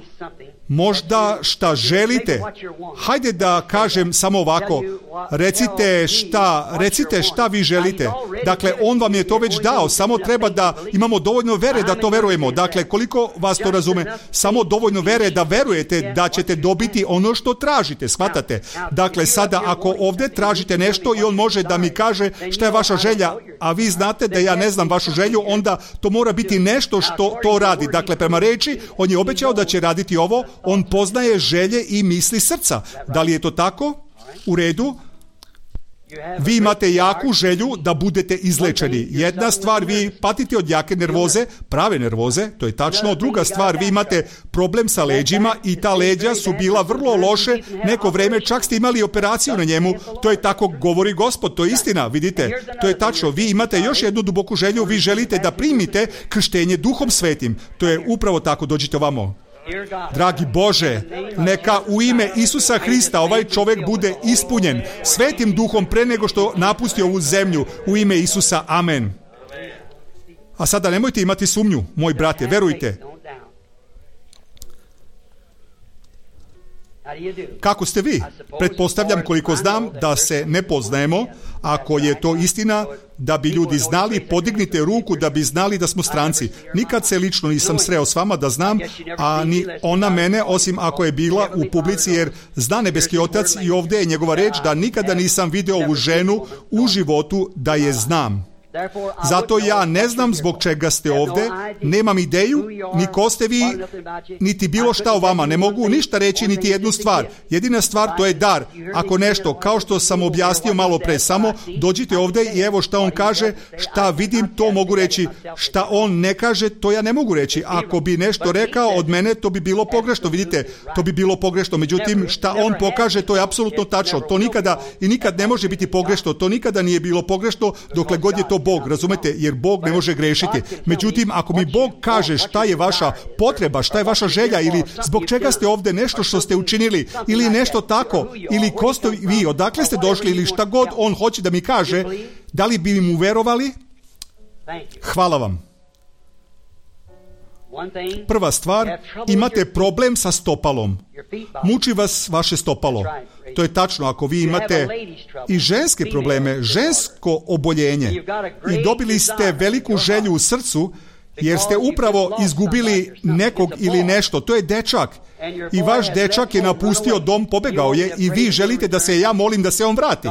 možda šta želite. Hajde da kažem samo ovako. Recite šta vi želite. Dakle, on vam je to već dao. Samo treba da imamo dovoljno vere da to verujemo. Dakle, koliko vas to razume? Samo dovoljno vere da verujete da ćete dobiti ono što tražite. Shvatate? Dakle, sada ako ovdje tražite nešto i on može da mi kaže šta je vaša želja, a vi znate da ja ne znam vašu želju, onda to mora biti nešto što to radi. Dakle, prema reči, on je obećao da će raditi ovo. On poznaje želje i misli srca. Da li je to tako? U redu. Vi imate jaku želju da budete izlečeni. Jedna stvar, vi patite od jake nervoze, prave nervoze, to je tačno. Druga stvar, vi imate problem sa leđima i ta leđa su bila vrlo loše neko vreme, čak ste imali operaciju na njemu. To je tako govori Gospod, to je istina, vidite. To je tačno. Vi imate još jednu duboku želju, vi želite da primite krštenje Duhom Svetim. To je upravo tako, dođite ovamo. Dragi Bože, neka u ime Isusa Hrista ovaj čovjek bude ispunjen Svetim Duhom pre nego što napusti ovu zemlju. U ime Isusa, amen. A sada nemojte imati sumnju, moj brate, verujte. Kako ste vi? Pretpostavljam, koliko znam, da se ne poznajemo. Ako je to istina, da bi ljudi znali, podignite ruku da bi znali da smo stranci. Nikad se lično nisam sreo s vama da znam, a ni ona mene, osim ako je bila u publici, jer zna nebeski Otac i ovdje je njegova reč da nikada nisam video ovu ženu u životu da je znam. Zato ja ne znam zbog čega ste ovdje, nemam ideju, ni ko ste vi, niti bilo šta o vama. Ne mogu ništa reći, niti jednu stvar. Jedina stvar, to je dar. Ako nešto, kao što sam objasnio malo pre, samo dođite ovdje i evo šta on kaže, šta vidim, to mogu reći. Šta on ne kaže, to ja ne mogu reći. Ako bi nešto rekao od mene, to bi bilo pogrešno. Vidite, to bi bilo pogrešno. Međutim, šta on pokaže, to je apsolutno tačno. To nikada i nikad ne može biti pogrešno. To nikada nije bilo pogrešno dokle god je to Bog, razumete, jer Bog ne može grešiti. Međutim, ako mi Bog kaže šta je vaša potreba, šta je vaša želja ili zbog čega ste ovdje, nešto što ste učinili ili nešto tako, ili ko ste vi, odakle ste došli ili šta god on hoće da mi kaže, da li bi mu verovali? Hvala vam. Prva stvar, imate problem sa stopalom. Muči vas vaše stopalo. To je tačno, ako vi imate i ženske probleme, žensko oboljenje i dobili ste veliku želju u srcu, jer ste upravo izgubili nekog ili nešto. To je dečak. I vaš dečak je napustio dom, pobegao je i vi želite da se ja molim da se on vrati.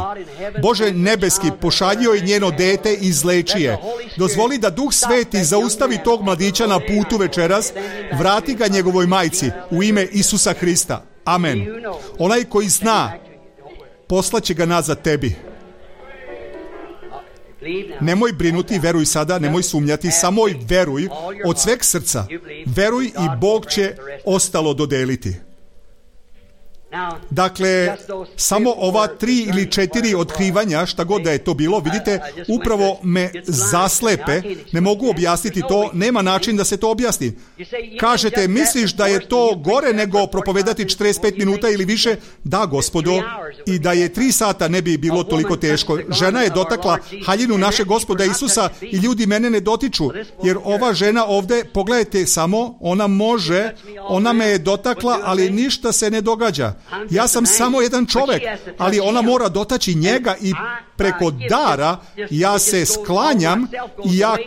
Bože nebeski, pošaljio je njeno dete i izleči je. Dozvoli da Duh Sveti zaustavi tog mladića na putu večeras, vrati ga njegovoj majci u ime Isusa Hrista. Amen. Onaj koji zna, poslaće ga nazad tebi. Nemoj brinuti, veruj sada, nemoj sumnjati, samo veruj od sveg srca. Veruj i Bog će ostalo dodeliti. Dakle, samo ova 3 ili 4 otkrivanja, šta god da je to bilo, vidite, upravo me zaslepe, ne mogu objasniti to, nema način da se to objasni. Kažete, misliš da je to gore nego propovedati 45 minuta ili više? Da, Gospodo, i da je 3 sata ne bi bilo toliko teško. Žena je dotakla haljinu našeg Gospoda Isusa i ljudi mene ne dotiču, jer ova žena ovdje, pogledajte samo, ona me je dotakla, ali ništa se ne događa. Ja sam samo jedan čovjek, ali ona mora dotaći njega i preko dara ja se sklanjam i ja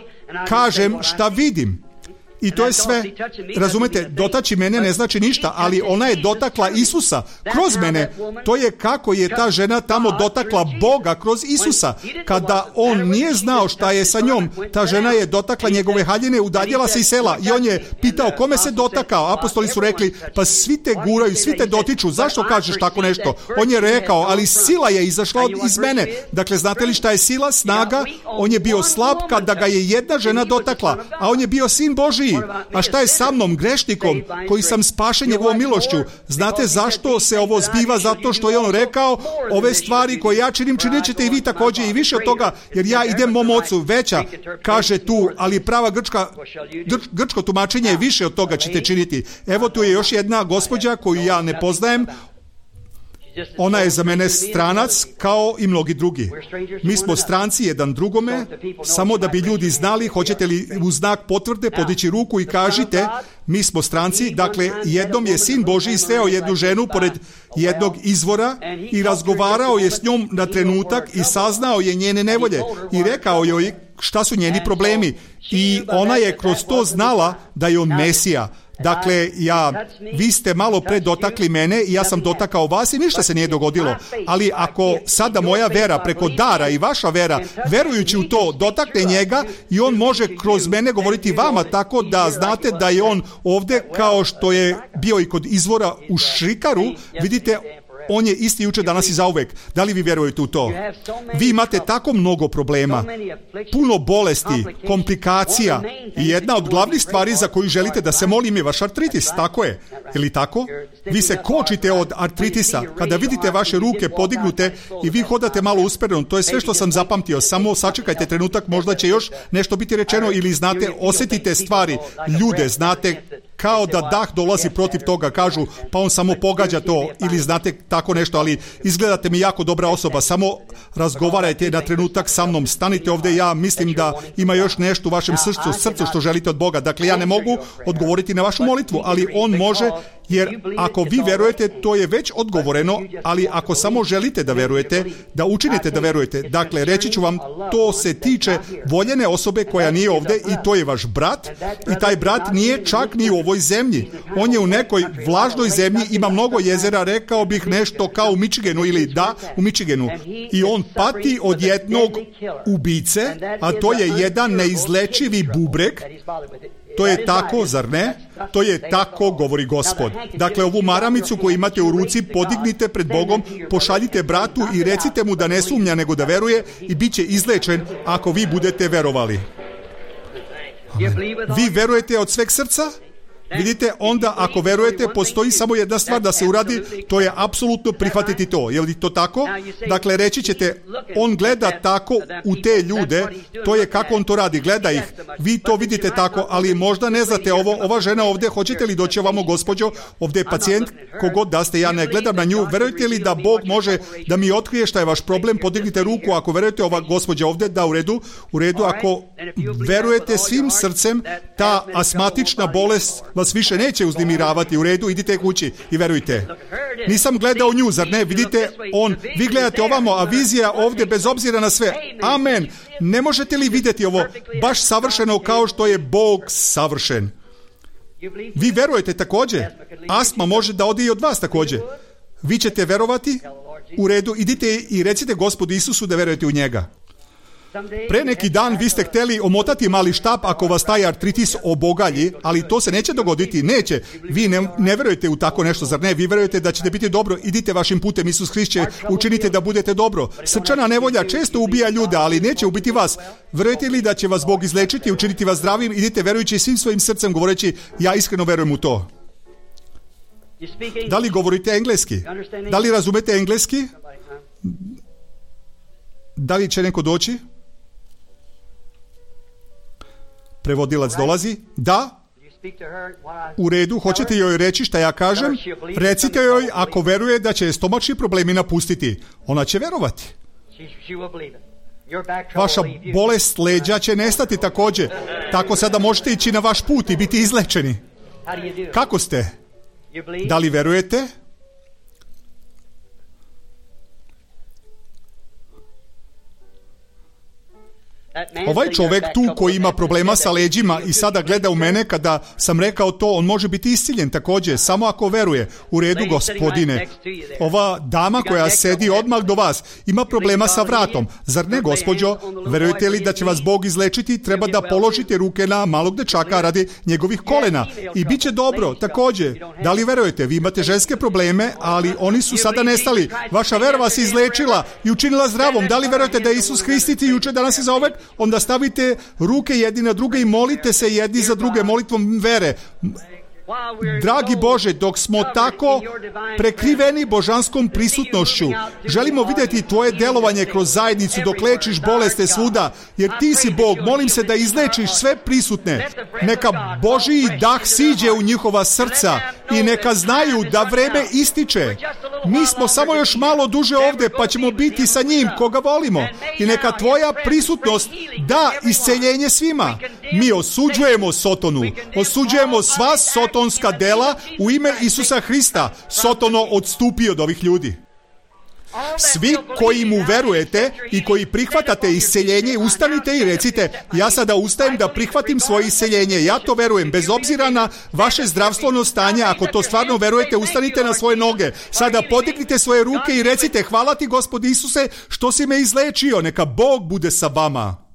kažem šta vidim. I to je sve. Razumete, dotaći mene ne znači ništa, ali ona je dotakla Isusa kroz mene. To je kako je ta žena tamo dotakla Boga kroz Isusa. Kada on nije znao šta je sa njom, ta žena je dotakla njegove haljine, udaljila se iz sela i on je pitao kome se dotakao. Apostoli su rekli, pa svi te guraju, svi te dotiču, zašto kažeš tako nešto? On je rekao, ali sila je izašla iz mene. Dakle, znate li šta je sila, snaga? On je bio slab kada ga je jedna žena dotakla, a on je bio sin Božiji. A šta je sa mnom, grešnikom, koji sam spašen njegovom milošću? Znate zašto se ovo zbiva? Zato što je on rekao, ove stvari koje ja činim, činit ćete i vi također i više od toga, jer ja idem mom ocu. Veća, kaže tu, ali prava grčko tumačenje je više od toga ćete činiti. Evo tu je još jedna gospođa koju ja ne poznajem. Ona je za mene stranac kao i mnogi drugi. Mi smo stranci jedan drugome, samo da bi ljudi znali, hoćete li u znak potvrde podići ruku i kažite, mi smo stranci. Dakle, jednom je sin Božji sreo jednu ženu pored jednog izvora i razgovarao je s njom na trenutak i saznao je njene nevolje i rekao joj šta su njeni problemi i ona je kroz to znala da je on Mesija. Dakle, vi ste malo pre dotakli mene i ja sam dotakao vas i ništa se nije dogodilo. Ali ako sada moja vera preko dara i vaša vera, verujući u to, dotakne njega i on može kroz mene govoriti vama tako da znate da je on ovdje kao što je bio i kod izvora u Šrikaru, vidite, On je isti jučer, danas i zauvek. Da li vi vjerujete u to? Vi imate tako mnogo problema, puno bolesti, komplikacija i jedna od glavnih stvari za koju želite da se molim je vaš artritis, tako je? Ili tako? Vi se kočite od artritisa. Kada vidite vaše ruke podignute i vi hodate malo uspereno, to je sve što sam zapamtio. Samo sačekajte trenutak, možda će još nešto biti rečeno ili znate, osjetite stvari, ljude, znate kao da dah dolazi protiv toga, kažu pa on samo pogađa to ili znate tako nešto, ali izgledate mi jako dobra osoba, samo razgovarajte na trenutak sa mnom, stanite ovdje, ja mislim da ima još nešto u vašem srcu što želite od Boga. Dakle, ja ne mogu odgovoriti na vašu molitvu, ali on može, jer ako vi verujete, to je već odgovoreno, ali ako samo želite da verujete, da učinite da verujete, dakle, reći ću vam, to se tiče voljene osobe koja nije ovdje i to je vaš brat i taj brat nije čak ni u ovoj zemlji. On je u nekoj vlažnoj zemlji, ima mnogo jezera, rekao bih nešto kao u Michiganu ili u Michiganu. I on pati od jednog ubice, a to je jedan neizlečivi bubreg. To je tako, zar ne? To je tako, govori Gospod. Dakle, ovu maramicu koju imate u ruci podignite pred Bogom, pošaljite bratu i recite mu da ne sumnja nego da veruje i bit će izlečen ako vi budete verovali. Amen. Vi verujete od sveg srca? Vidite, onda ako verujete, postoji samo jedna stvar da se uradi, to je apsolutno prihvatiti to. Je li to tako? Dakle, reći ćete, on gleda tako u te ljude, to je kako on to radi, gleda ih. Vi to vidite tako, ali možda ne znate ovo, ova žena ovdje, hoćete li doći ovamo, gospođo, ovdje je pacijent, kogod da ste, ja ne gledam na nju, verujete li da Bog može da mi otkrije šta je vaš problem, podignite ruku, ako verujete ova gospođa ovdje, da, u redu, ako verujete svim srcem, ta astmatična bolest vas više neće uznemiravati, u redu, idite kući i verujte. Nisam gledao nju, zar ne? Vidite, vi gledate ovamo, a vizija ovdje bez obzira na sve. Amen. Ne možete li vidjeti ovo baš savršeno kao što je Bog savršen? Vi verujete također. Astma može da ode i od vas također. Vi ćete verovati? U redu, idite i recite Gospodu Isusu da verujete u njega. Pre neki dan vi ste htjeli omotati mali štap ako vas taj artritis obogalji, ali to se neće dogoditi, neće. Vi ne verujete u tako nešto, zar ne? Vi verujete da ćete biti dobro, idite vašim putem, Isus Hrist će učinite da budete dobro. Srčana nevolja često ubija ljude, ali neće ubiti vas. Verujete li da će vas Bog izlečiti i učiniti vas zdravim? Idite verujući svim svojim srcem, govoreći, ja iskreno verujem u to. Da li govorite engleski? Da li razumete engleski? Da li će neko doći? Prevodilac dolazi. Da. U redu, hoćete joj reći šta ja kažem? Recite joj ako veruje da će stomačni problemi napustiti. Ona će verovati. Vaša bolest leđa će nestati također. Tako sada možete ići na vaš put i biti izlečeni. Kako ste? Da li verujete? Ovaj čovjek tu koji ima problema sa leđima i sada gleda u mene kada sam rekao to, on može biti isciljen također, samo ako veruje. U redu, gospodine. Ova dama koja sedi odmah do vas ima problema sa vratom. Zar ne, gospođo? Verujete li da će vas Bog izlečiti? Treba da položite ruke na malog dečaka radi njegovih kolena. I bit će dobro, također. Da li verujete? Vi imate ženske probleme, ali oni su sada nestali. Vaša vera vas izlečila i učinila zdravom. Da li verujete da je Isus Hrist jučer, danas i zauvek? Onda stavite ruke jedni na druge i molite se jedni za druge molitvom vere. Dragi Bože, dok smo tako prekriveni božanskom prisutnošću, želimo vidjeti Tvoje delovanje kroz zajednicu dok lečiš boleste svuda, jer Ti si Bog. Molim se da izlečiš sve prisutne. Neka Božji dah siđe u njihova srca i neka znaju da vreme ističe. Mi smo samo još malo duže ovdje, pa ćemo biti sa njim koga volimo. I neka Tvoja prisutnost da isceljenje svima. Mi osuđujemo Sotonu, osuđujemo sva sotonska dela u ime Isusa Hrista. Sotono odstupi od ovih ljudi. Svi koji mu verujete i koji prihvatate isceljenje, ustanite i recite, ja sada ustajem da prihvatim svoje isceljenje. Ja to verujem, bez obzira na vaše zdravstveno stanje. Ako to stvarno verujete, ustanite na svoje noge. Sada podignite svoje ruke i recite, hvala Ti, Gospod Isuse, što si me izlečio. Neka Bog bude sa vama.